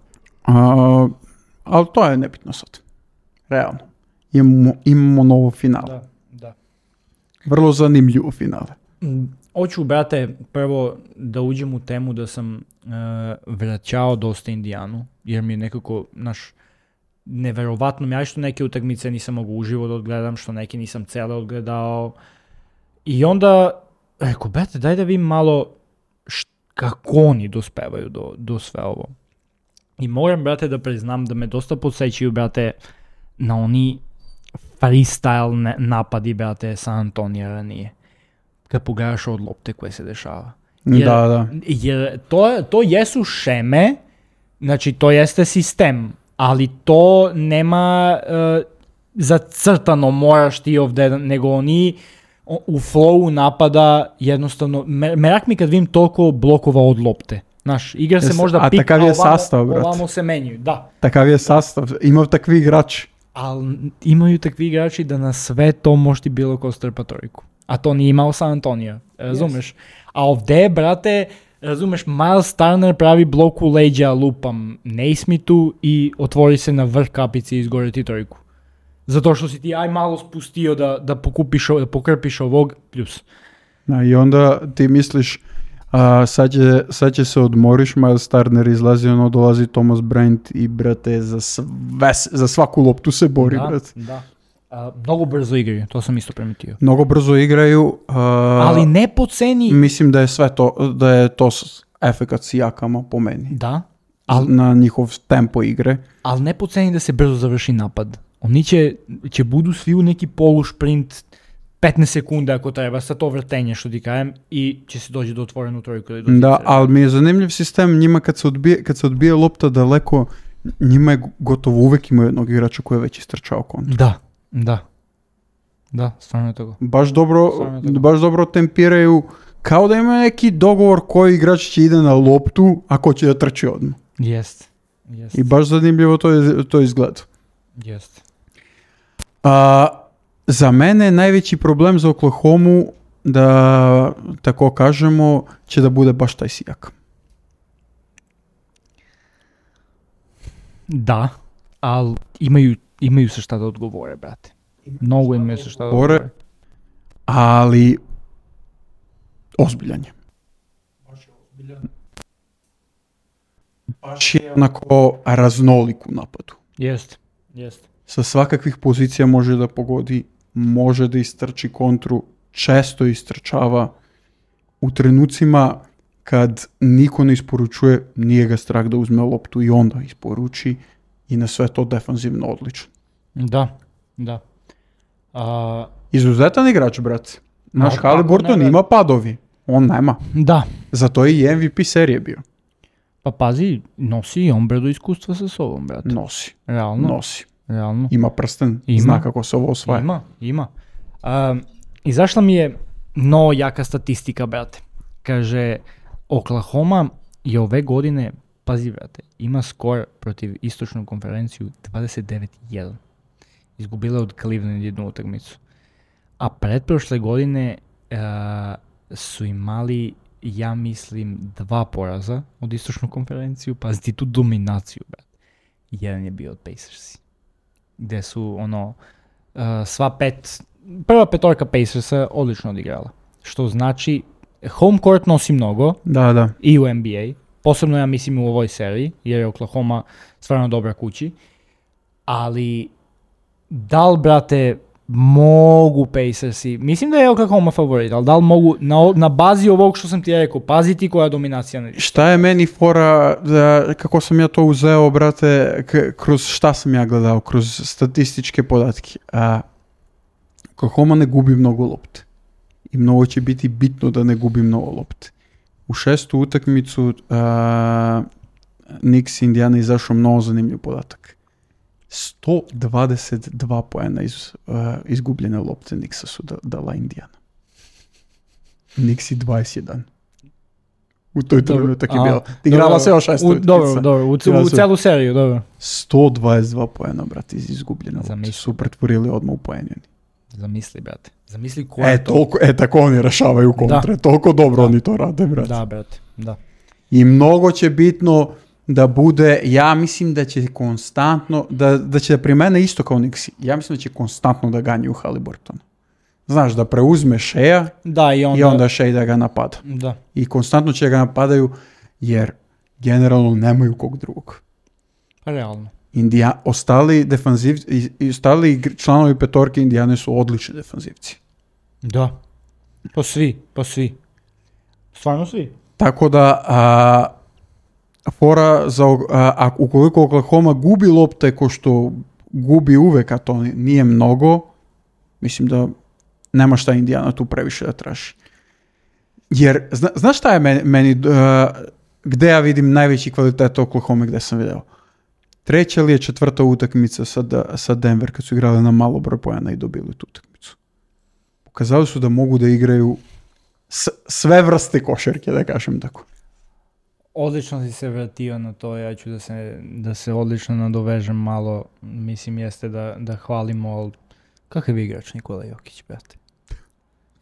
A, ali to je nebitno sad. Realno. Imamo, imamo novo finale. Da, da. Vrlo zanimljivo finale. Mm, Hoću, brate, prvo da uđem u temu da sam uh, vraćao dosta Indijanu, jer mi je nekako, naš, neverovatno mi, ja što neke utakmice nisam mogu uživo da odgledam, što neke nisam cele odgledao. I onda, rekao, brate, daj da vidim malo št, kako oni dospevaju do, do sve ovo. I moram, brate, da priznam da me dosta podsećaju, brate, na oni freestyle ne, napadi, brate, San Antonija ranije. Kad pogledaš od lopte koje se dešava. Jer, da, da. Jer to, to jesu šeme, znači to jeste sistem, ali to nema uh, zacrtano moraš ti ovde, nego oni u flowu napada jednostavno, merak mi kad vidim toliko blokova od lopte. Znaš, igra se Jes, možda a pik, takav je ovamo, sastav, brate. ovamo se menjuju, da. Takav je sastav. Ima takvi igrači. Ali imaju takvi igrači da na sve to može ti bilo ko strpa trojku. A to nije imao San Antonio, razumeš? Yes. A ovdje, brate, razumeš, Miles Turner pravi blok u leđa, lupam Naismithu i otvori se na vrh kapici i izgore ti trojku. Zato što si ti aj malo spustio da, da, pokupiš, da pokrpiš ovog, plus. Da, i onda ti misliš, a, sad, će, sad će se odmoriš, Miles Turner izlazi, ono dolazi Thomas Bryant i, brate, za, sve, za svaku loptu se bori, Da, brate. da. A, mnogo brzo igraju, to sam isto primetio. Mnogo brzo igraju. A, Ali ne po ceni... Mislim da je sve to, da je to s- efekat s jakama po meni. Da, ali Na njihov tempo igre. al ne po ceni da se brzo završi napad. Oni će, će budu svi u neki polušprint petnaest sekunde ako treba, sa to vrtenje što ti kajem i će se doći do otvorenu trojku. Ili do Da, zicera. ali mi je zanimljiv sistem, njima kad se odbije, kad se odbije lopta daleko, njima je gotovo uvek imaju jednog igrača koji je već istrčao kontru. Da, da. Da, stvarno je tako. Baš dobro, Stvarno je tako. baš dobro tempiraju, kao da ima neki dogovor koji igrač će ide na loptu, a ko će da trči odmah. Jest, jest, I baš zanimljivo to, je, to izgleda. jest. A, za mene je najveći problem za Oklahomu, da tako kažemo, će da bude baš taj Sijak. Da, ali imaju, imaju se šta da odgovore, brate. Mnogo imaju se šta da Odgovore. odgovore. Ali ozbiljan je. Baš je onako raznolik u napadu. Jest, jest. Sa svakakvih pozicija može da pogodi, može da istrči kontru, često istrčava. U trenucima kad niko ne isporučuje, nije ga strah da uzme loptu i onda isporuči i na sve to defanzivno odlično. Da, da. A, Izuzetan igrač, brate. Naš Ma, kako Haliburton ne, ima padovi, on nema. da. Zato je i M V P serije bio. Pa pazi, nosi i on bredo iskustva sa sobom, brate. Nosi, Realno, nosi. realno. Ima prsten, Ima. zna kako se ovo osvaja. Ima, ima. Um, izašla mi je no jaka statistika, brate. Kaže, Oklahoma je ove godine, pazi, brate, ima skor protiv istočnu konferenciju dvadeset devet jedan. Izgubila je od Cleveland jednu utakmicu. A pretprošle godine uh, su imali, ja mislim, dva poraza od istočnu konferenciju. Pazi ti tu dominaciju, brate. Jedan je bio od Pacersi. Gde su, ono, uh, sva pet, prva petorka Pacersa odlično odigrala. Što znači, home court nosi mnogo Da, da. i u N B A. Posebno ja mislim u ovoj seriji, jer je Oklahoma stvarno dobra kući. Ali, da li, brate, mogu Pacersi, mislim da je Oklahoma favorit, ali da li mogu, na, na bazi ovog što sam ti rekao, paziti koja dominacija na Šta je meni fora, da, kako sam ja to uzeo, brate, k- kroz šta sam ja gledao, kroz statističke podatke. A, Oklahoma ne gubi mnogo lopte. I mnogo će biti bitno da ne gubi mnogo lopte. U šestu utakmicu a, Knicks Indiana izašao mnogo zanimljiv podatak. sto dvadeset dva poena iz uh, izgubljene lopte Knicksa su da, dala Indiana. Knicksi dvadeset jedan. U toj trenutak je bila. Igrala se još šest utakmica. Dobro, dobro, u, u celu seriju, dobro. sto dvadeset dva poena, brate, iz izgubljene lopte. Su pretvorili odmah u poenjeni. Zamisli, brate. Zamisli ko je e, to. Toliko, e, tako oni rešavaju kontre. Da. Toliko dobro da. Oni to rade, brate. Da, brate, da. I mnogo će bitno da bude, ja mislim da će konstantno, da, da će da primene isto kao Knicksi. Ja mislim da će konstantno da ganju Haliburtona. Znaš, da preuzme Shea da, i onda, i onda Shea da ga napada. Da. I konstantno će ga napadaju jer generalno nemaju kog drugog. Realno. Indija, ostali, defanziv, i, ostali članovi petorke Indijane su odlični defanzivci. Da. Pa svi, pa svi. Stvarno svi. Tako da, a, fora za, a, a ukoliko Oklahoma gubi lopte ko što gubi uvek, a to nije mnogo, mislim da nema šta Indijana tu previše da traži. Jer, zna, znaš šta je meni, meni uh, gde ja vidim najveći kvalitet Oklahoma gde sam video? Treća ili je četvrta utakmica sa, sa Denver kad su igrali na malo broj poena i dobili tu utakmicu. Pokazali su da mogu da igraju s, sve vrste košarke, da kažem tako. Odlično si se vratio na to, ja ću da se, da se odlično nadovežem malo, mislim jeste da, da hvalimo, ali kakav je igrač Nikola Jokić, brate?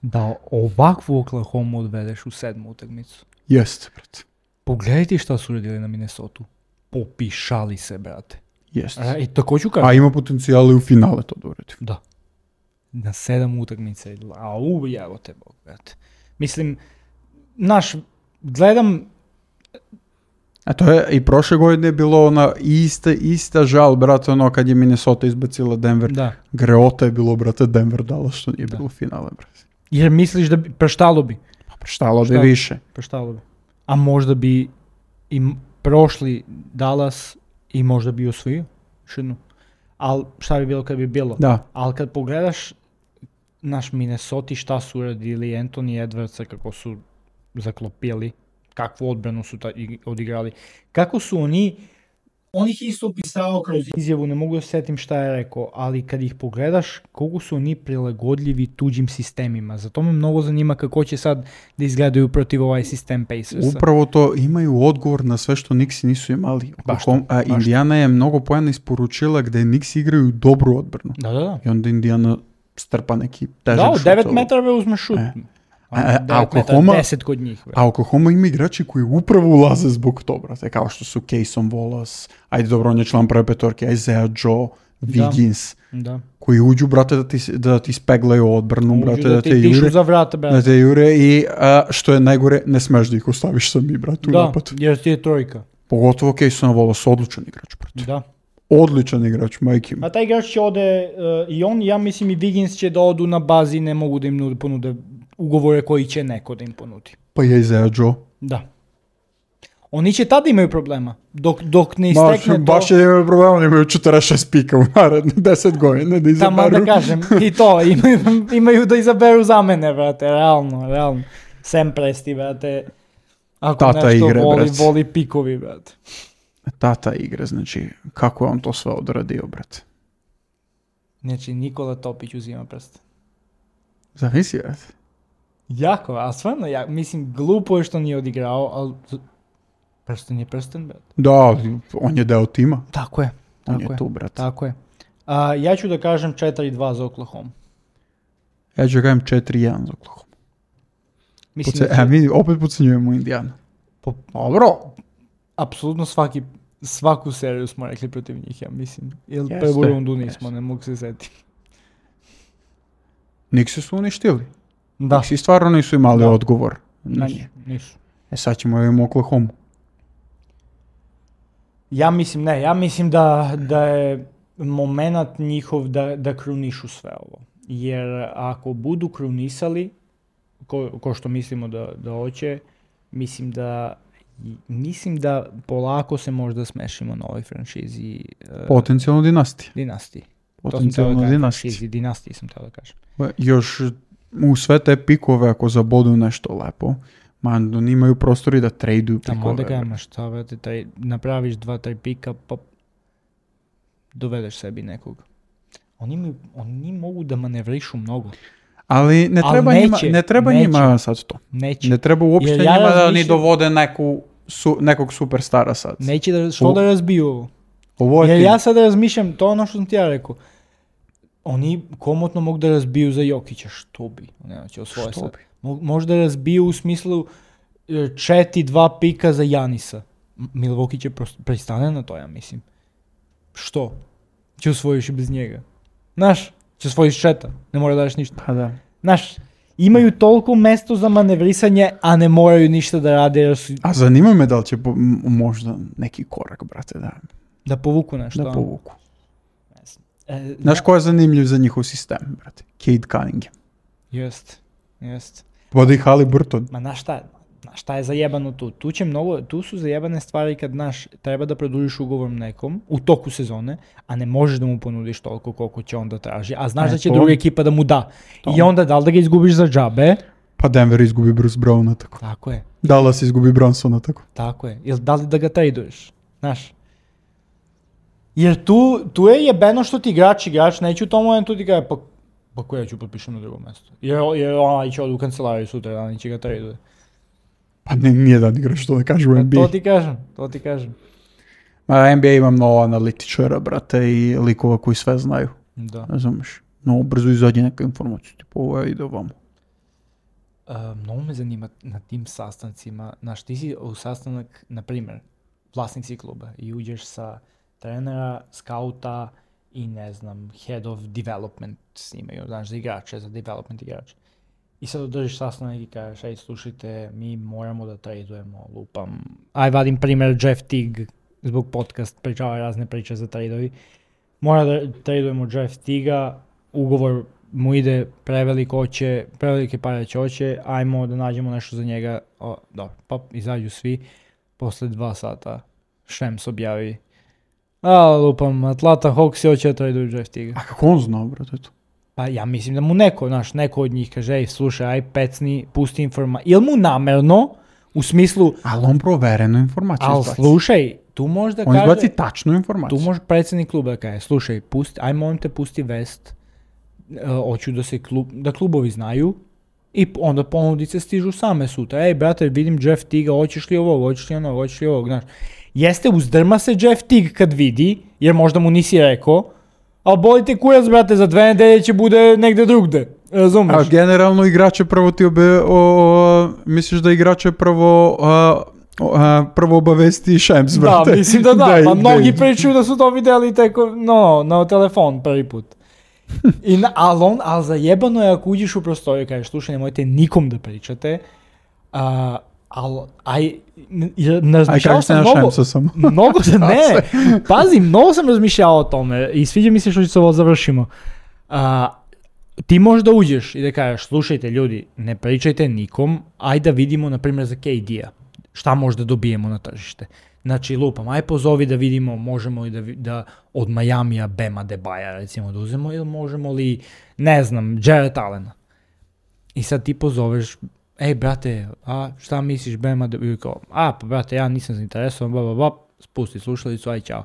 Da ovakvu Oklahoma odvedeš u sedmu utakmicu. Jeste, brate. Pogledaj ti šta su uradili na Minnesotu. Popišali se, brate. Jeste. I tako ću kažem. A ima potencijale u finale to da uradi. Da. Na sedam utakmica. A ujevo te Bog, brate. Mislim, naš, gledam... A to je i prošle godine je bilo ona ista, ista žal, brate, ono kad je Minnesota izbacila Denver. Da. Greota je bilo, brate, Denver dala što nije da. Bilo finale, brate. Jer misliš da bi, preštalo bi? Pa preštalo bi više. Preštalo bi. A možda bi i prošli Dallas i možda bi osvojio šednu. Ali šta bi bilo kad bi bilo? Da. Ali kad pogledaš naš Minnesota šta su uradili Anthony Edwardsa, kako su zaklopili, kakvu odbranu su ta, odigrali, kako su oni, on ih isto opisao kroz izjavu, ne mogu da setim šta je rekao, ali kad ih pogledaš, koliko su oni prilagodljivi tuđim sistemima. Zato me mnogo zanima kako će sad da izgledaju protiv ovaj sistem Pacersa. Upravo to, imaju odgovor na sve što Knicksi nisu imali. Baš to, a Indijana je mnogo poena isporučila gde Knicksi igraju dobru odbranu. Da, da, da. I onda Indijana strpa neki težak šut. Da, devet metara uzme šut. E. A, a, Oklahoma, deset kod njih. Bre. A Oklahoma ima igrači koji upravo ulaze zbog toga, brate, kao što su Cason Wallace, ajde dobro, on je član prve petorke, Isaiah Joe, Wiggins, da. Koji uđu, brate, da ti, da ti speglaju odbranu, uđu brate, da, da te jure, za vrata, brate. da te jure i a, što je najgore, ne smeš da ih ostaviš sami, brate, u da, napad. Da, jer ti je trojka. Pogotovo Cason Wallace, odličan igrač, brate. Da. Odličan igrač, majke mi. A taj igrač će ode, uh, i on, ja mislim i Wiggins će da odu na bazi, ne mogu da im nude, ponude ugovore koji će neko da im ponudi. Pa je Isaiah Joe. Da. Oni će tada imaju problema, dok, dok ne istekne baš, to... Baš je imaju problema, oni imaju četrdeset šest pika u naredne deset godina da izaberu. Tamo da kažem, i to, imaju, imaju da izaberu zamene, brate, realno, realno. Sam Presti, brate, ako Tata nešto igre, voli, brate. voli pikovi, brate. Tata igre, znači, kako je on to sve odradio, brate? Znači, Nikola Topić uzima prst. Zavisi, brate. Jako, a stvarno, ja, mislim, glupo je što nije odigrao, ali prsten je prsten, brate. Da, on je deo tima. Tako je. Tako on je, je tu, brate. Tako je. A, ja ću da kažem četiri dva za Oklahoma. Ja ću da kažem četiri jedan za Oklahoma. Mislim Poce, da će... e, mi opet pocenjujemo Indijanu. Po... Dobro. Apsolutno svaki, svaku seriju smo rekli protiv njih, ja mislim. Ili Jeste, prvu rundu nismo, jeste. ne mogu se setiti. Niksi su uništili. Da. Niksi stvarno nisu imali Da. odgovor. Nisu, nisu. E sad ćemo da imamo Oklahoma. Ja mislim, ne, ja mislim da, da je moment njihov da, da krunišu sve ovo. Jer ako budu krunisali, ko, ko što mislimo da, da hoće, mislim da mislim da polako se možda smešimo na ovoj franšizi. Uh, Potencijalno dinastije. dinastiji. Potencijalno dinastije. Franšizi, dinastiji sam teo da kažem. Još u sve te pikove, ako zabodu nešto lepo, Ma, oni imaju prostori da traduju preko Tamo onda ove, kažem, šta, brate, taj, napraviš dva, tri pika, pa dovedeš sebi nekog. Oni, imaju, oni mogu da manevrišu mnogo. Ali ne Ali treba, neće, njima, ne treba neće. njima sad to. Neće. Ne treba uopšte Jer ja njima da razmišljam- ni dovode neku, su, nekog superstara sad. Neće da, što U- da razbiju ovo? Ovo je Jer ti- ja sada razmišljam, to je ono što sam ti ja rekao. Oni komotno mogu da razbiju za Jokića, što bi? Ne, će osvoje Što sad. bi? Mo- Možda razbiju u smislu e, četiri dva pika za Janisa. M- Milwaukee će prosto pristane na to, ja mislim. Što? Će osvojiš i bez njega. Znaš, će osvojiš četa, ne mora da daš ništa. Pa da. Znaš, imaju toliko mesto za manevrisanje, a ne moraju ništa da rade jer su, A zanima me da li će po, m- možda neki korak, brate, da, da povuku nešto. da a? povuku. E, Znaš ko je zanimljiv za njihov sistem, brate? Cade Cunningham. Jest, jest. Vodi Haliburton. Ma znaš šta, znaš šta je zajebano tu? Tu će mnogo, tu su zajebane stvari kad znaš, treba da produžiš ugovor nekom u toku sezone, a ne možeš da mu ponudiš toliko koliko će on da traži, a znaš E, da će to- druga ekipa da mu da. to. I onda da li da ga izgubiš za džabe? Pa Denver izgubi Bruce Browna tako. Tako je, Dallas izgubi Brunsona tako. tako je. Ili da li da ga traduješ? Znaš. Jer tu, tu je jebeno što ti igrač, igrač neće u tom momentu ti kaže, pa, pa ko ja ću potpišem na drugo mesto. Jer, jer onaj će od u kancelariju sutra, da će ga traduje. Pa ne, nije da igraš što da kažu u N B A. To ti kažem, to ti kažem. Ma, N B A ima mnogo analitičara, brate, i likova koji sve znaju. Da. Razumeš? No, brzo izađe neka informacija, tipo ovo je ide ovamo. Uh, mnogo me zanima na tim sastancima, znaš, ti si u sastanak, na primjer, vlasnik si kluba i uđeš sa trenera, skauta i ne znam, head of development snimaju, znaš, za igrače, za development igrače. I sad održiš sastanak i kažeš, ej, slušajte, mi moramo da tradujemo, lupam. Aj, vadim primjer Jeff Teague, zbog podcast, pričava razne priče za tradovi. Mora da tradujemo Jeff Teaga, ugovor mu ide preveliko oće, prevelike pare će oće, ajmo da nađemo nešto za njega. O, dobro, pa izađu svi. Posle dva sata Shams objavi. A, lupam, Atlanta Hawks hoće da traduju Jeff Teaga. A kako on zna, brate, to? Pa ja mislim da mu neko, znaš, neko od njih kaže, ej, slušaj, aj pecni, pusti informaciju. Ili mu namerno, u smislu, Ali on proverenu informaciju ali izbaci. slušaj, tu možda On kaže, izbaci tačnu informaciju. tu može predsjednik kluba da kaže, slušaj, pusti, aj molim te pusti vest, e, hoću da se klub, da klubovi znaju i p- onda ponudice stižu same sutra. Ej, brate, vidim Jeff Teaga, hoćeš li ovog, hoćeš li onog, hoćeš li ovog, znaš. Jeste, uzdrma se Jeff Teague kad vidi, jer možda mu nisi rekao, ali boli te kurac, brate, za dve nedelje će bude negde drugde, razumeš? A generalno igrače prvo ti obe, o, o, misliš da igrače prvo a, o, a, prvo obavesti Shams, Da, brate. mislim da da, Daj, pa daj. mnogi pričaju da su to vidjeli teko, no, na telefon prvi put. I na, ali, on, ali zajebano je ako uđeš u prostoriju i kažeš, slušaj, nemojte nikom da pričate, a, ali, aj, jer Aj, razmišljao kako se sam na mnogo, Shamsa samo. mnogo se, ne, pazi, mnogo sam razmišljao o tome i sviđa mi se što će se ovo završimo. A, ti možda uđeš i da kažeš, slušajte ljudi, ne pričajte nikom, ajde da vidimo, na primjer, za K D-a, šta možda dobijemo na tržište. Znači, lupam, aj pozovi da vidimo, možemo li da, vi- da od Majamija Bema Debaja, recimo, da uzemo, ili možemo li, ne znam, Jarrett Allena. I sad ti pozoveš, ej, brate, a šta misliš Bema Debaja? Kao, a, pa, brate, ja nisam zainteresovan, bla, bla, bla, spusti slušalicu, aj, čao.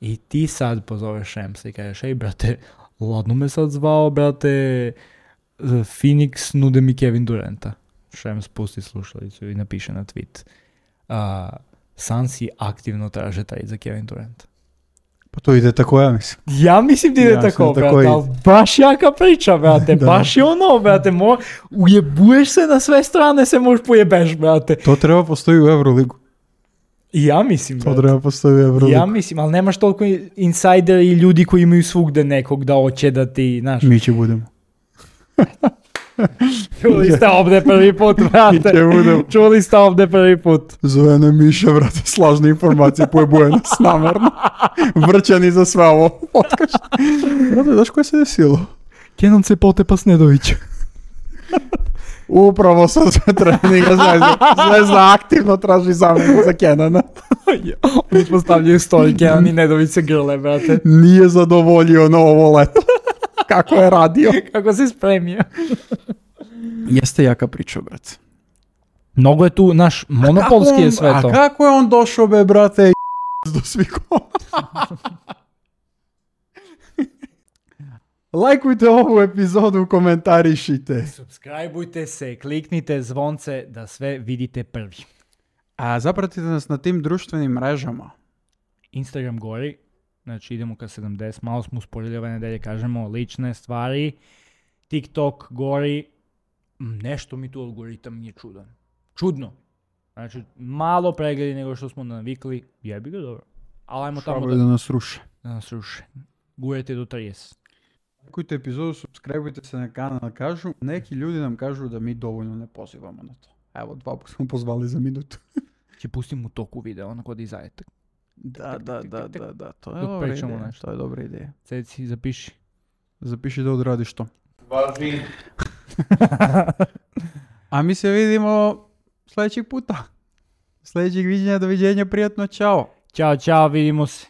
I ti sad pozoveš Shamsa i kažeš, ej, brate, ladno me sad zvao, brate, Phoenix nude mi Kevin Duranta. Shams pusti slušalicu i napiše na tweet. Uh, Sansi aktivno traže taj za Kevin Durant. Pa to ide tako, ja mislim. Ja mislim da ide Ja tako, sam brate, tako i- ali baš jaka priča, brate, Da. baš je ono, brate, mo, ujebuješ se na sve strane, se možeš pojebeš, brate. To treba postoji u Euroligu. I ja mislim, To brate. treba postoji u Euroligu. Ja mislim, ali nemaš toliko insider i ljudi koji imaju svugde nekog da hoće da ti, znaš. Mi će budemo. Čuli ste ovdje prvi put, Mi brate. će budemo. Čuli ste ovdje prvi put. Zove ne Miša, brate, slažne informacije, pojebuje nas namerno. Vrćani za sve ovo podcast. Brate, znaš koje se desilo? Kenan se potepa Snedović. Upravo sa sve treninga Zvezda. Zvezda aktivno traži zamjenu za Kenana. Oni postavljaju story, Kenan i Nedović se grle, brate. Nije zadovoljio na ovo leto. Kako je radio. Kako se spremio. Jeste jaka priča, brate. Mnogo je tu, naš monopolski je sve to. A kako je on došao, be, brate, do svih Lajkujte ovu epizodu, komentarišite. Subscribeujte se, kliknite zvonce da sve vidite prvi. A zapratite nas na tim društvenim mrežama. Instagram gori, znači idemo ka sedamdeset, malo smo usporili ove nedelje, kažemo lične stvari. TikTok gori, nešto mi tu algoritam nije čudan. Čudno. Znači, malo pregledi nego što smo navikli, jebi ga dobro. Ali ajmo tamo Šabaju da, da nas ruše. Da nas ruše. Gurajte do trideset. Lajkujte epizodu, subscribeujte se na kanal, kažu. Neki ljudi nam kažu da mi dovoljno ne pozivamo na to. Evo, dva puta smo pozvali za minutu. Će pustim u toku video, onako da izađete. Da, da, da, da, da, to je Dok dobra pričamo ideja. nešto. To je dobra ideja. Ceci, zapiši. Zapiši da odradiš to. Važi. A mi se vidimo sljedećeg puta. Sljedećeg viđenja, doviđenja, prijatno, čao. Ćao, ćao, vidimo se.